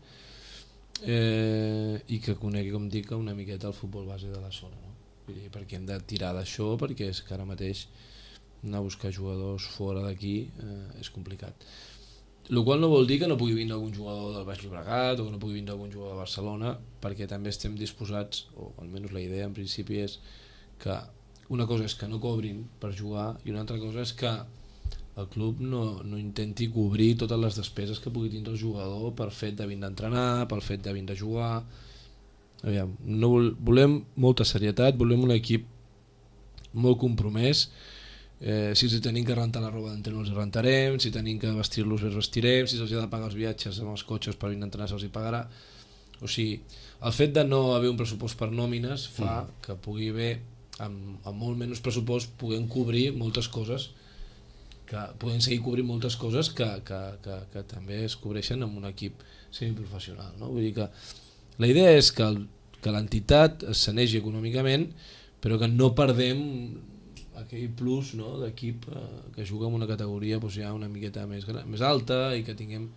i que conegui, com dic, una miqueta el futbol base de la zona, no? Perquè hem de tirar d'això, perquè és que ara mateix anar a buscar jugadors fora d'aquí és complicat, el qual no vol dir que no pugui vindre algun jugador del Baix Llobregat o que no pugui vindre algun jugador de Barcelona, perquè també estem disposats, o almenys la idea en principi és que una cosa és que no cobrin per jugar i una altra cosa és que el club no intenti cobrir totes les despeses que pugui tindre el jugador per fet de vindre a entrenar, pel fet de vindre a jugar. Aviam, no volem molta serietat, volem un equip molt compromès. Si els tenim que rentar la roba d'entrenador els rentarem, si tenim que vestir-los els vestirem, si se'ls ha de pagar els viatges amb els cotxes per vindre a entrenar se'ls hi pagarà. O sigui, el fet de no haver un pressupost per nòmines fa que pugui haver, amb molt menys pressupost, puguem cobrir moltes coses, que podem seguir cobrint moltes coses que també es cobreixen amb un equip semiprofessional, no? Vull dir que la idea és que l'entitat es sanegi econòmicament, però que no perdem aquell plus, no, d'equip que juga en una categoria doncs, ja una miqueta més alta i que tinguem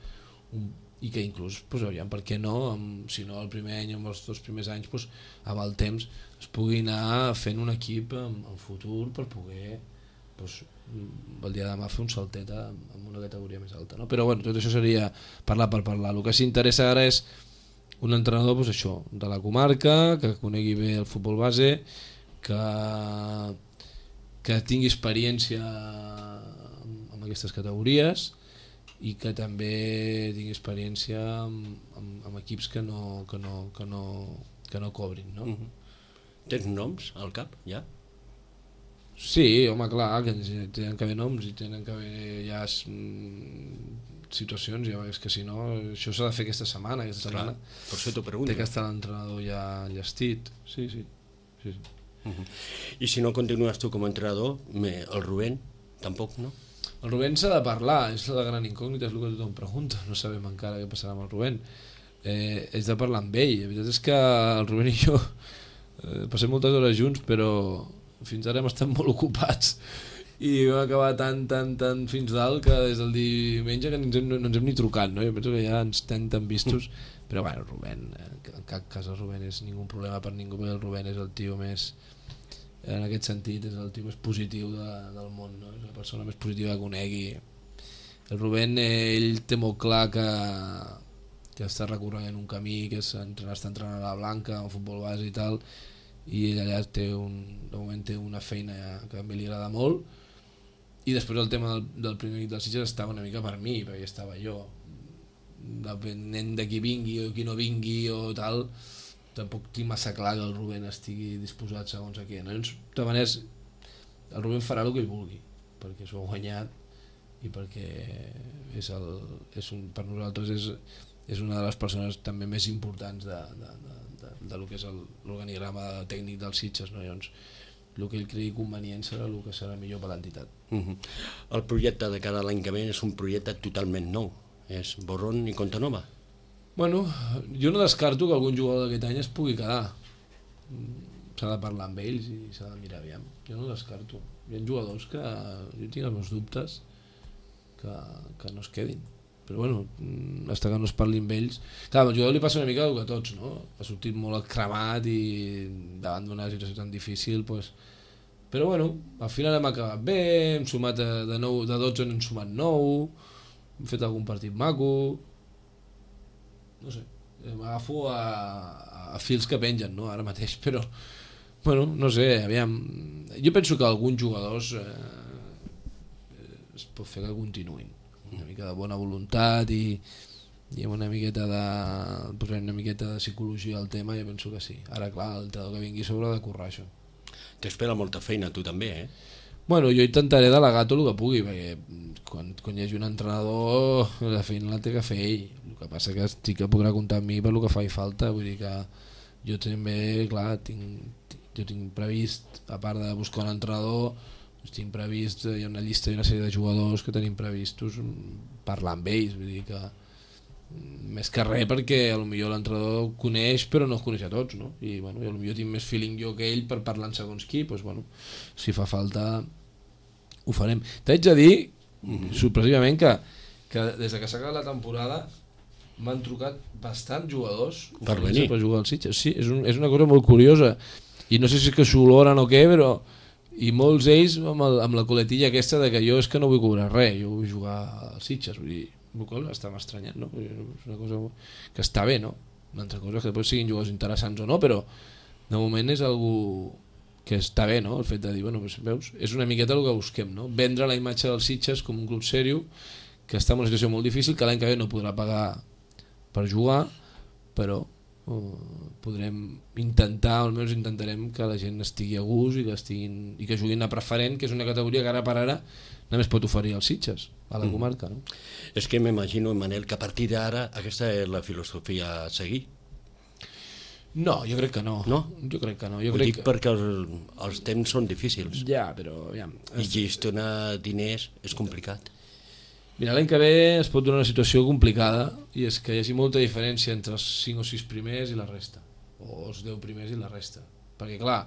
i que inclús, doncs, aviam, per què no, si no el primer any o els 2 primers anys, doncs, amb el temps es pugui anar fent un equip en futur per poder doncs, el dia de demà fer un saltet en una categoria més alta, no? Però bueno, tot això seria parlar per parlar. El que s'interessa ara és un entrenador doncs, això, de la comarca, que conegui bé el futbol base, que tingui experiència en aquestes categories i que també tingui experiència amb equips que no cobrin, no? Tens noms al cap, ja? Sí, home, clar, que tenen que haver noms i tenen que haver ja situacions, ja és que si no, això s'ha de fer aquesta setmana. Per això t'ho pregunto. Té que estar l'entrenador ja enllestit. Sí. I si no continues tu com a entrenador, el Rubén, tampoc, no? El Rubén s'ha de parlar, és la gran incògnita, és el que tothom pregunta, no sabem encara què passarà amb el Rubén. És de parlar amb ell, la veritat és que el Rubén i jo passem moltes hores junts, però fins ara hem estat molt ocupats i vam acabar tan fins dalt que des del diumenge que no ens hem ni trucat, no? Jo penso que ja ens tenen tan vistos, però bueno, el Rubén, en cap cas el Rubén és ningú problema per ningú, perquè el Rubén és el tio més, en aquest sentit, és el tio més positiu del món, no? És la persona més positiva que conegui. El Rubén, ell té molt clar que està recorrent un camí, que està entrenant a la Blanca, al futbol base i tal, i ell allà de moment té una feina que també li agrada molt, i després el tema del primer equip dels Sitges estava una mica per mi, perquè estava jo, depenent de qui vingui o qui no vingui o tal, tampoc tinc massa clar que el Rubén estigui disposat segons a què, no? De maneres, el Rubén farà el que ell vulgui, perquè s'ho ha guanyat i perquè per nosaltres és una de les persones també més importants de lo que és l'organigrama tècnic dels Sitges, no? Llavors, el que ell cregui convenient serà el que serà millor per l'entitat. El projecte de cara a l'any que ve és un projecte totalment nou, és borrón i compte nova. Bueno, jo no descarto que algun jugador d'aquest any es pugui quedar. S'ha de parlar amb ells i s'ha de mirar aviam. Jo no descarto. Hi ha jugadors que jo tinc els meus dubtes que no es quedin. Però bueno, fins que no es parli amb ells. Clar, al jugador li passa una mica el que a tots, no? Ha sortit molt cremat i davant d'una situació tan difícil, doncs... Però bueno, al final hem acabat bé, hem sumat de 12 n'hem sumat 9, hem fet algun partit maco... No sé, m'agafo a fils que pengen, no? Ara mateix, però... Bueno, no sé, aviam... Jo penso que alguns jugadors es pot fer que continuïn. Una mica de bona voluntat i i amb una miqueta de psicologia al tema, jo penso que sí. Ara clar, l'entrenador que vingui sobre ha de currar això. T'espera molta feina tu també, Bueno, jo intentaré delegar tot el que pugui, perquè quan hi hagi un entrenador la feina la té que fer ell. El que passa que sí que podrà comptar amb mi per el que faci falta, vull dir que jo també, clar, jo tinc previst, a part de buscar un entrenador, tinc previst, hi ha una llista i una sèrie de jugadors que tenim previstos parlar amb ells, vull dir que més que res perquè potser l'entrenador coneix però no els coneix a tots, no? I bueno, potser tinc més feeling jo que ell per parlar en segons qui, doncs, bueno, si fa falta ho farem. T'haig de dir sorpresivament que des que s'ha acabat la temporada m'han trucat bastants jugadors per venir per jugar al Sitges. Sí, és una cosa molt curiosa i no sé si és que s'oloren o què, però i molts d'ells amb la coletilla aquesta de que jo és que no vull cobrar res, jo vull jugar al Sitges, vull dir, està m'estranyant, no? És una cosa que està bé, no? Una altra cosa és que després siguin jugadors interessants o no, però de moment és algú que està bé, no? El fet de dir, bueno, doncs, veus, és una miqueta el que busquem, no? Vendre la imatge del Sitges com un club sèrio que està en una situació molt difícil, que l'any que ve no podrà pagar per jugar, però podrem intentar, almenys intentarem que la gent estigui a gust i que juguin a preferent, que és una categoria que ara per ara només pot oferir els Sitges a la comarca, no? És que m'imagino, Manel, que a partir d'ara aquesta és la filosofia a seguir. No, jo crec que no. No? Jo crec que no. Ho dic perquè els temps són difícils. Ja, però... Aviam, I gestionar diners és complicat. Mira, l'any que ve es pot donar una situació complicada i és que hi hagi molta diferència entre els 5 o 6 primers i la resta, o els 10 primers i la resta, perquè clar,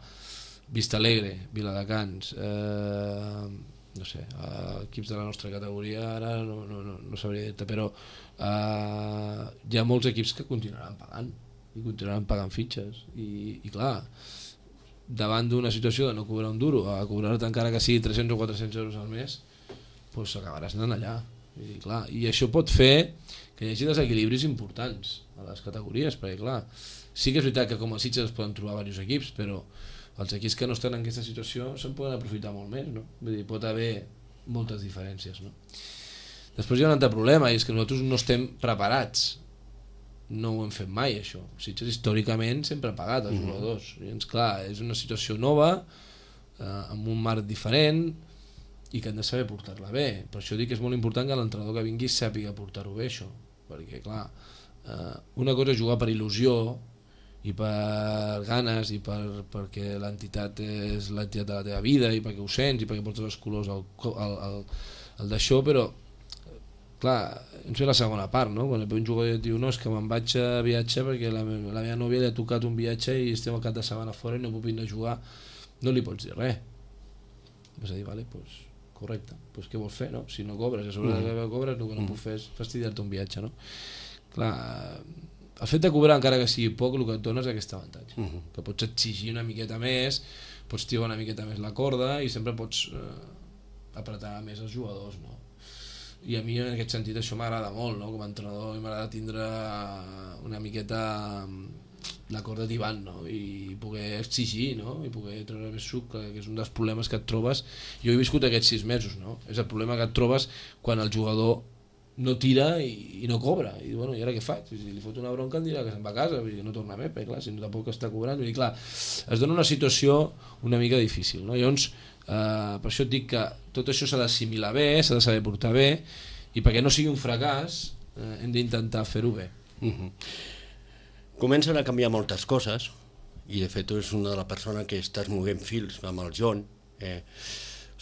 Vista Alegre, Viladecans, no sé, equips de la nostra categoria ara no sabria dir-te, però hi ha molts equips que continuaran pagant i continuaran pagant fitxes i clar, davant d'una situació de no cobrar un duro a cobrar-te encara que sigui 300 o 400 euros al mes, doncs acabaràs anant allà. I, clar, i això pot fer que hi hagi desequilibris importants a les categories, perquè clar, sí que és veritat que com a Sitges es poden trobar diversos equips, però els equips que no estan en aquesta situació se'n poden aprofitar molt més, no? Vull dir, pot haver moltes diferències, no? Després hi ha un altre problema, i és que nosaltres no estem preparats, no ho hem fet mai això. Sitges històricament sempre ha pagat els jugadors, i doncs, clar, és una situació nova, amb un marc diferent, i que han de saber portar-la bé. Per això dic que és molt important que l'entrenador que vingui sàpiga portar-ho bé, això, perquè clar, una cosa és jugar per il·lusió i per ganes i perquè l'entitat és l'entitat de la teva vida i perquè ho sents i perquè portes els colors al d'això, però clar, ens ve la segona part, no? Quan un jugador et diu no, és que me'n vaig a viatge perquè la meva nòvia li ha tocat un viatge i estem al cap de setmana fora i no puc vindre a jugar, no li pots dir res. Vas a dir, vale, doncs correcte, doncs què vols fer, no? Si no cobres, a sobre de que cobres, el que no puc fer és fastidiar-te un viatge, no? Clar, el fet de cobrar encara que sigui poc, el que et dona és aquest avantatge, que pots exigir una miqueta més, pots tirar una miqueta més la corda i sempre pots apretar més els jugadors, no? I a mi en aquest sentit això m'agrada molt, no? Com a entrenador m'agrada tindre una miqueta la corda tibant, no? I poder exigir, no? I poder treure més suc, que és un dels problemes que et trobes. Jo he viscut aquests 6 mesos, no? És el problema que et trobes quan el jugador no tira i no cobra, i bueno, i ara què faig? Si li fot una bronca em dirà que se'n va a casa, vull dir, no torna més, perquè clar, si no tampoc està cobrant, vull dir, clar, es dona una situació una mica difícil, no? Llavors, per això et dic que tot això s'ha d'assimilar bé, s'ha de saber portar bé, i perquè no sigui un fracàs hem d'intentar fer-ho bé. Comencen a canviar moltes coses i de fet tu és una de les persones que estàs movent fils amb el John,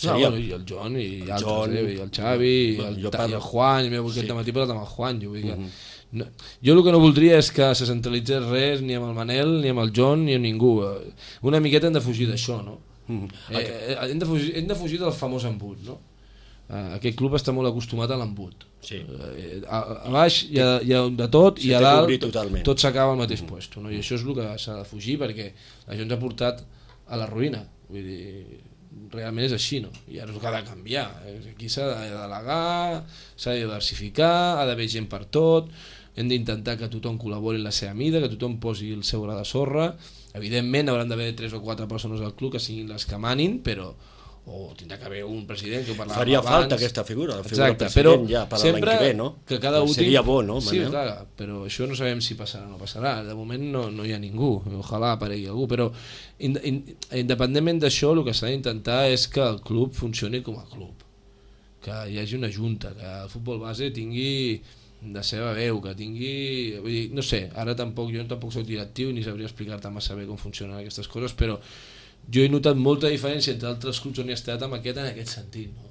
bueno, i el John i altres, i el Xavi i el Juan, i m'he volgut aquest matí parlat amb el Juan, jo vull que jo el que no voldria és que se centralitzés res ni amb el Manel, ni amb el John, ni amb ningú. Una miqueta hem de fugir d'això, no? Hem de fugir del famós embut, no? Aquest club està molt acostumat a l'embut. A baix hi ha de tot i a dalt tot s'acaba al mateix lloc, no? I això és el que s'ha de fugir perquè això ens ha portat a la ruïna, vull dir, realment és així, no? I ara és el que ha de canviar, aquí s'ha de delegar, s'ha de diversificar, ha d'haver gent per tot, hem d'intentar que tothom col·labori en la seva mida, que tothom posi el seu gra de sorra. Evidentment hauran d'haver 3 o 4 persones al club que siguin les que manin, però o tindrà que haver un president que ho parlàvem Faria abans. falta aquesta figura, la figura Exacte, president però ja per a l'any sempre que ve, no? que cada un seria bo, no, Sí, Manel? clar, però això no sabem si passarà o no passarà. De moment no hi ha ningú, ojalà aparegui algú, però independentment d'això el que s'ha d'intentar és que el club funcioni com a club, que hi hagi una junta, que el futbol base tingui la seva veu, que tingui... Vull dir, no sé, ara jo tampoc soc directiu ni sabria explicar-te massa bé com funcionen aquestes coses, però jo he notat molta diferència entre altres clubs on he estat en aquest sentit, no?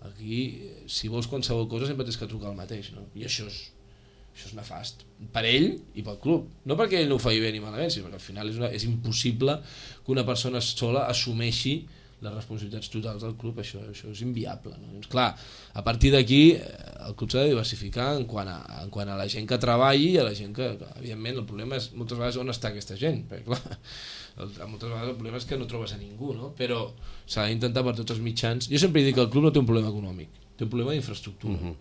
Aquí, si vols qualsevol cosa sempre tens que trucar al mateix, no? I això és nefast per ell i pel club, no perquè ell no ho faci bé ni malament, sinó perquè al final és impossible que una persona sola assumeixi les responsabilitats totals del club, això és inviable, no? Doncs clar, a partir d'aquí el club s'ha de diversificar en quant a la gent que treballi i a la gent que evidentment el problema és moltes vegades on està aquesta gent, perquè clar, moltes vegades el problema és que no trobes a ningú, no? Però s'ha d'intentar per tots els mitjans. Jo sempre dic que el club no té un problema econòmic, té un problema d'infraestructura,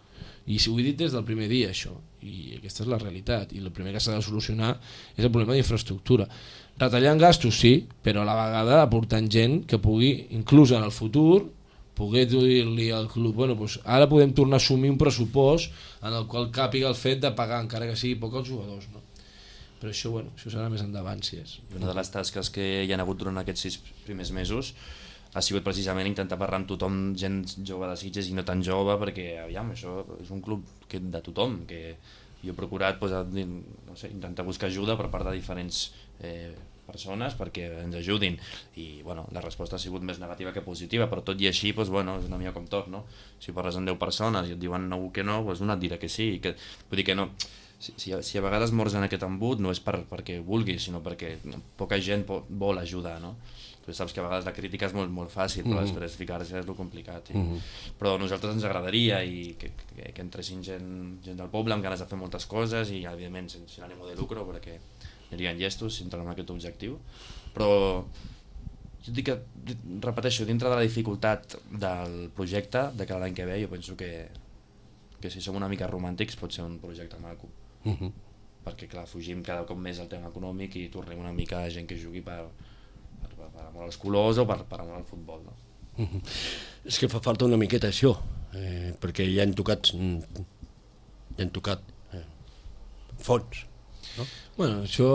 i ho he dit des del primer dia això, i aquesta és la realitat, i el primer que s'ha de solucionar és el problema d'infraestructura. Retallant gastos sí, però a la vegada aportant gent que pugui, inclús en el futur, poder dir-li al club, bueno, doncs ara podem tornar a assumir un pressupost en el qual càpiga el fet de pagar, encara que sigui poc, als jugadors, no? Però això, bueno, això serà més endavant, si és. Una de les tasques que hi ha hagut durant aquests 6 primers mesos ha sigut precisament intentar parlar amb tothom, gent jove de Sitges i no tan jove, perquè aviam, això és un club de tothom, que jo he procurat no sé, intentar buscar ajuda per part de diferents persones perquè ens ajudin, i bueno, la resposta ha sigut més negativa que positiva, però tot i així doncs, bueno, és una mica com tot, no? Si parles amb 10 persones i et diuen no que no, doncs una et dirà que sí, que, vull dir que no, si a vegades mors en aquest embut no és perquè vulguis, sinó perquè poca gent vol ajudar, no? Tu saps que a vegades la crítica és molt, molt fàcil, però després ficar-se és lo complicat. Però a nosaltres ens agradaria que entressin gent del poble amb ganes de fer moltes coses i evidentment sense ànim de lucre, perquè anirien llestos si entren en aquest objectiu. Però jo dic que, repeteixo, dintre de la dificultat del projecte de cada any que ve, jo penso que si som una mica romàntics pot ser un projecte maco. Perquè clar, fugim cada cop més al tema econòmic i tornem una mica a gent que jugui per amor als colors o per amor al futbol, no? És que fa falta una miqueta això, perquè ja han tocat fons, no? Bueno, això...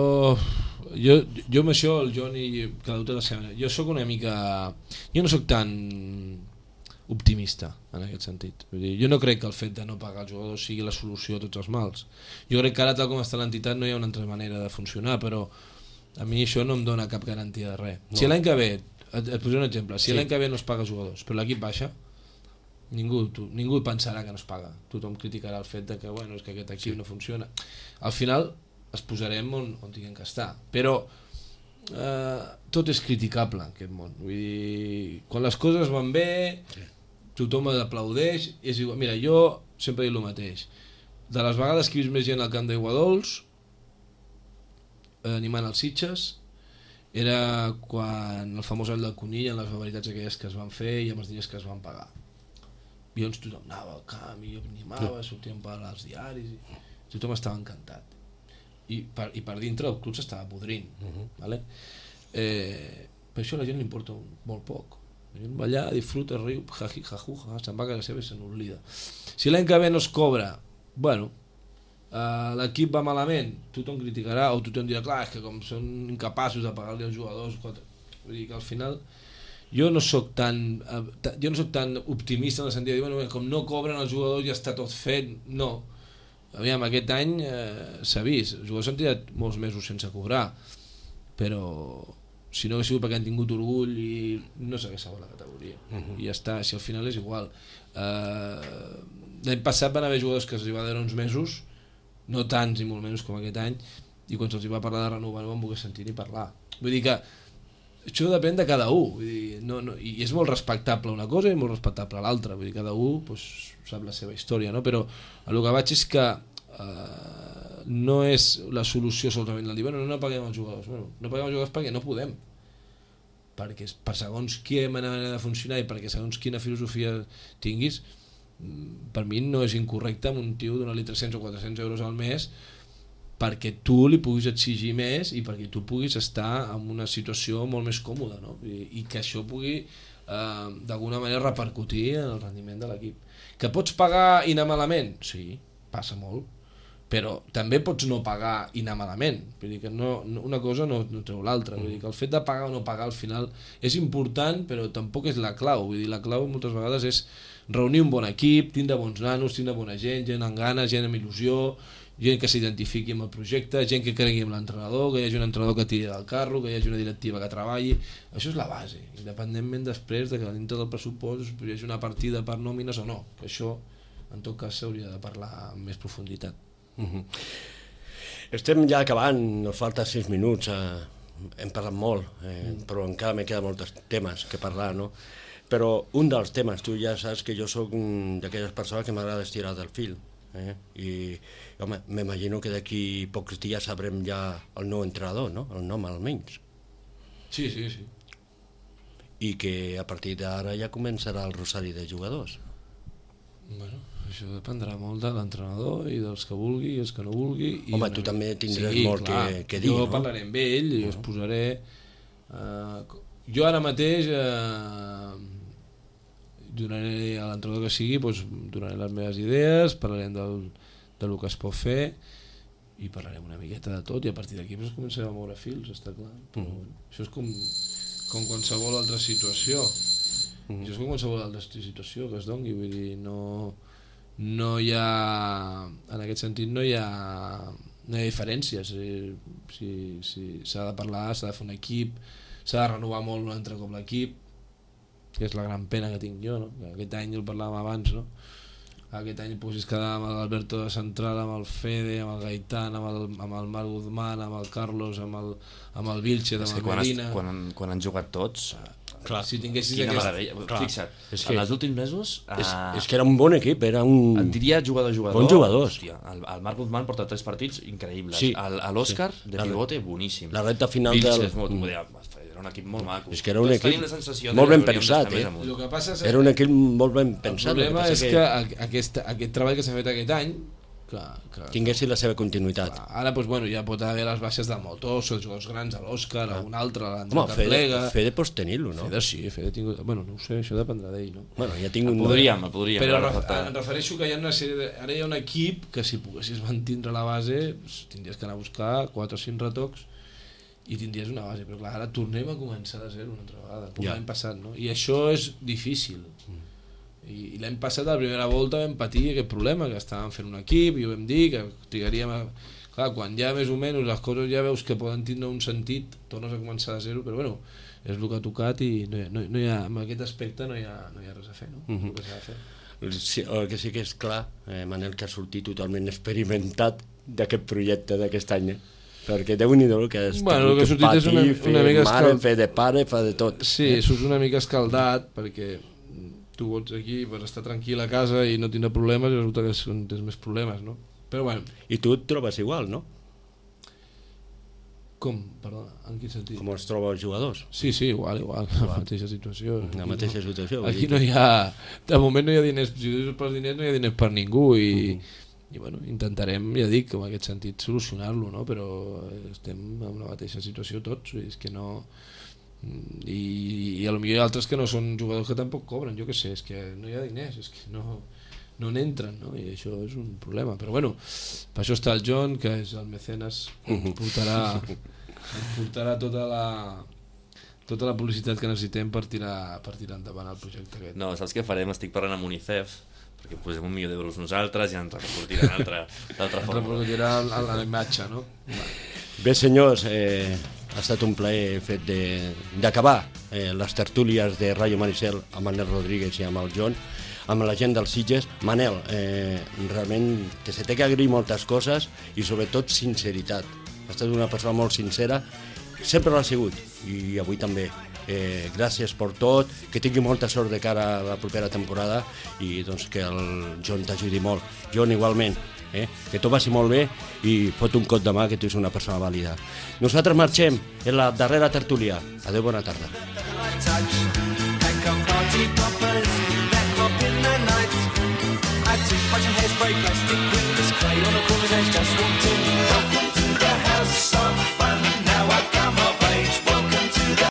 Jo amb això, el Joan i cada un té la seva... Jo soc una mica... Jo no soc tan optimista en aquest sentit. Vull dir, jo no crec que el fet de no pagar els jugadors sigui la solució a tots els mals. Jo crec que ara, tal com està l'entitat, no hi ha una altra manera de funcionar, però a mi això no em dona cap garantia de res. No. Si l'any que ve, et posaré un exemple, si l'any que ve no es paga jugadors, però l'equip baixa, ningú pensarà que no es paga. Tothom criticarà el fet de que, bueno, és que aquest equip no funciona. Al final es posarem on tinguem que estar, però tot és criticable en aquest món. Vull dir, quan les coses van bé, tothom aplaudeix, és igual. Mira, jo sempre dic el mateix. De les vegades que he vist més gent al camp d'Aiguadols animant els Sitges era quan el famós all del conill, en les barbaritats aquelles que es van fer i amb els diners que es van pagar. I llavors tothom anava al camp i jo animava, sortíem per als diaris i tothom estava encantat. I per dintre el club s'estava podrint, vale? Per això a la gent li importa molt poc. La gent va allà, disfruta, riu, se'n va a casa seva i se n'oblida. Si l'any que ve no es cobra, bueno, l'equip va malament, tothom criticarà o tothom dirà, clar, és que com són incapaços de pagar-li als jugadors, vull dir que al final jo no soc tan optimista en el sentit de dir, bueno, com no cobren els jugadors ja està tot fet. No, aviam, aquest any s'ha vist, els jugadors s'han tirat molts mesos sense cobrar, però si no hagués sigut perquè han tingut orgull i no s'hagués salvat la categoria, i ja està, si al final és igual. L'any passat van haver jugadors que els va donar uns mesos, no tants ni molt menys com aquest any, i quan se'ls va parlar de renovar no van voler sentir ni parlar. Vull dir que això depèn de cada un, vull dir, i és molt respectable una cosa i molt respectable l'altra, vull dir, cada un pues, sap la seva història, no? Però el que vaig és que no és la solució solament el dir, bueno, no paguem els jugadors, bueno, no paguem els jugadors perquè no podem, perquè per segons quina manera de funcionar i perquè segons quina filosofia tinguis, per mi no és incorrecte amb un tio donar-li 300 o 400 euros al mes perquè tu li puguis exigir més i perquè tu puguis estar en una situació molt més còmoda, no? I que això pugui d'alguna manera repercutir en el rendiment de l'equip. Que pots pagar i anar malament? Sí, passa molt, però també pots no pagar i anar malament. Vull dir que una cosa no treu l'altra. Vull dir que el fet de pagar o no pagar al final és important, però tampoc és la clau. Vull dir, la clau moltes vegades és reunir un bon equip, tindre bons nanos, tindre bona gent amb ganes, gent amb il·lusió, gent que s'identifiqui amb el projecte, gent que cregui en l'entrenador, que hi hagi un entrenador que tiri del carro, que hi hagi una directiva que treballi. Això és la base, independentment després de que dintre del pressupost hi hagi una partida per nòmines o no, que això en tot cas s'hauria de parlar amb més profunditat. Estem ja acabant, nos falta 6 minuts, hem parlat molt, però encara me queden molts temes que parlar, no? Però un dels temes, tu ja saps que jo sóc d'aquelles persones que m'agrada estirar del fil, i home, m'imagino que d'aquí pocs dies sabrem ja el nou entrenador, no? El nom almenys. Sí. I que a partir d'ara ja començarà el rosari de jugadors. Bueno, això dependrà molt de l'entrenador i dels que vulgui i els que no vulgui. Home, tu també tindràs molt que dir, no? Jo parlaré amb ell i us posaré... Jo ara mateix donaré a l'entrenador que sigui, donaré les meves idees, parlarem del que es pot fer i parlarem una miqueta de tot i a partir d'aquí començarem a moure fils, està clar. Però, això és com qualsevol altra situació. Això és com qualsevol altra situació que es doni, vull dir, no hi ha, en aquest sentit no hi ha diferències. Si s'ha de parlar, s'ha de fer un equip, s'ha de renovar molt un altre cop l'equip, que és la gran pena que tinc jo, no? Que aquest any el parlàvem abans, no? Aquest any posis quedar amb l'Alberto de central, amb el Fede, amb el Gaitán, amb el Marc Guzmán, amb el Carlos, amb el Vilchez, amb el Medina. Quan han jugat tots, clar, si tinguessis quina meravella. Fixa't, en els últims mesos és que era un bon equip, era un... Et diria jugador. Bons jugadors. Hòstia, el Marc Guzmán porta 3 partits increïbles. Sí. L'Òscar, de pivote, boníssim. La recta final Vilchez, era un equip molt maco. És que era un equip molt ben pensat, era un equip molt ben pensat. El problema és que aquest treball que s'ha fet aquest any tinguessi la seva continuïtat. Ara ja pot haver les baixes de Moltós, els jugadors grans, l'Òscar, algun altre, l'Andrés Carplega. Fede pots tenir-lo, no? Fede tingut... Bueno, no ho sé, això dependrà d'ell, no? Bueno, ja tinc un... Podríem. Però em refereixo que hi ha una sèrie... Ara hi ha un equip que si poguessis mantindre la base tindries que anar a buscar 4 o 5 retocs i tindries una base, però clar, ara tornem a començar de zero una altra vegada, com l'any passat, no? I això és difícil. I l'any passat, a la primera volta, vam patir aquest problema, que estàvem fent un equip i ho vam dir, que trigaríem a... Clar, quan ja més o menys les coses ja veus que poden tindre un sentit, tornes a començar de zero, però bueno, és el que ha tocat i no hi ha, en aquest aspecte no hi ha res a fer, no? El que s'ha de fer. Sí, el que sí que és clar, Manel, que ha sortit totalment experimentat d'aquest projecte d'aquest any, perquè Déu-n'hi-do que has tingut patir, fer de pare, fa de tot. Sí, surts una mica escaldat, perquè tu vols aquí per estar tranquil a casa i no tindre problemes i resulta que tens més problemes, no? Però bueno. I tu et trobes igual, no? Com? Perdona, en quin sentit? Com els troba els jugadors? Sí, igual, la mateixa situació. La mateixa situació. Aquí no hi ha... De moment no hi ha diners, si dius pels diners no hi ha diners per ningú i bueno, intentarem, ja dic, en aquest sentit solucionar-lo, no? Però estem en la mateixa situació tots, és que no... I a lo millor hi ha altres que no són jugadors que tampoc cobren, jo què sé, és que no hi ha diners, és que no n'entren, no? I això és un problema, però bueno, per això està el John, que és el mecenes, que ens portarà tota la publicitat que necessitem per tirar endavant el projecte aquest. No, saps què farem? Estic parlant amb UNICEF, perquè posem $1.000.000 nosaltres i ens repercutiran d'altra forma. Repercutiran a la imatge, no? Bé, senyors, ha estat un plaer el fet d'acabar les tertúlies de Rayo Maricel amb Manel Rodríguez i amb el John, amb la gent dels Sitges. Manel, realment que se té que agrair moltes coses i sobretot sinceritat. Ha estat una persona molt sincera, sempre l'ha sigut i avui també. Gràcies per tot, que tingui molta sort de cara a la propera temporada i doncs, que el John t'ajudi molt. John, igualment. Que tot vagi molt bé i fot un cop de mà que tu ets una persona vàlida. Nosaltres marxem en la darrera tertúlia. Adéu, bona tarda. I took much hairspray, plastic, with this clay on the corner's edge, just one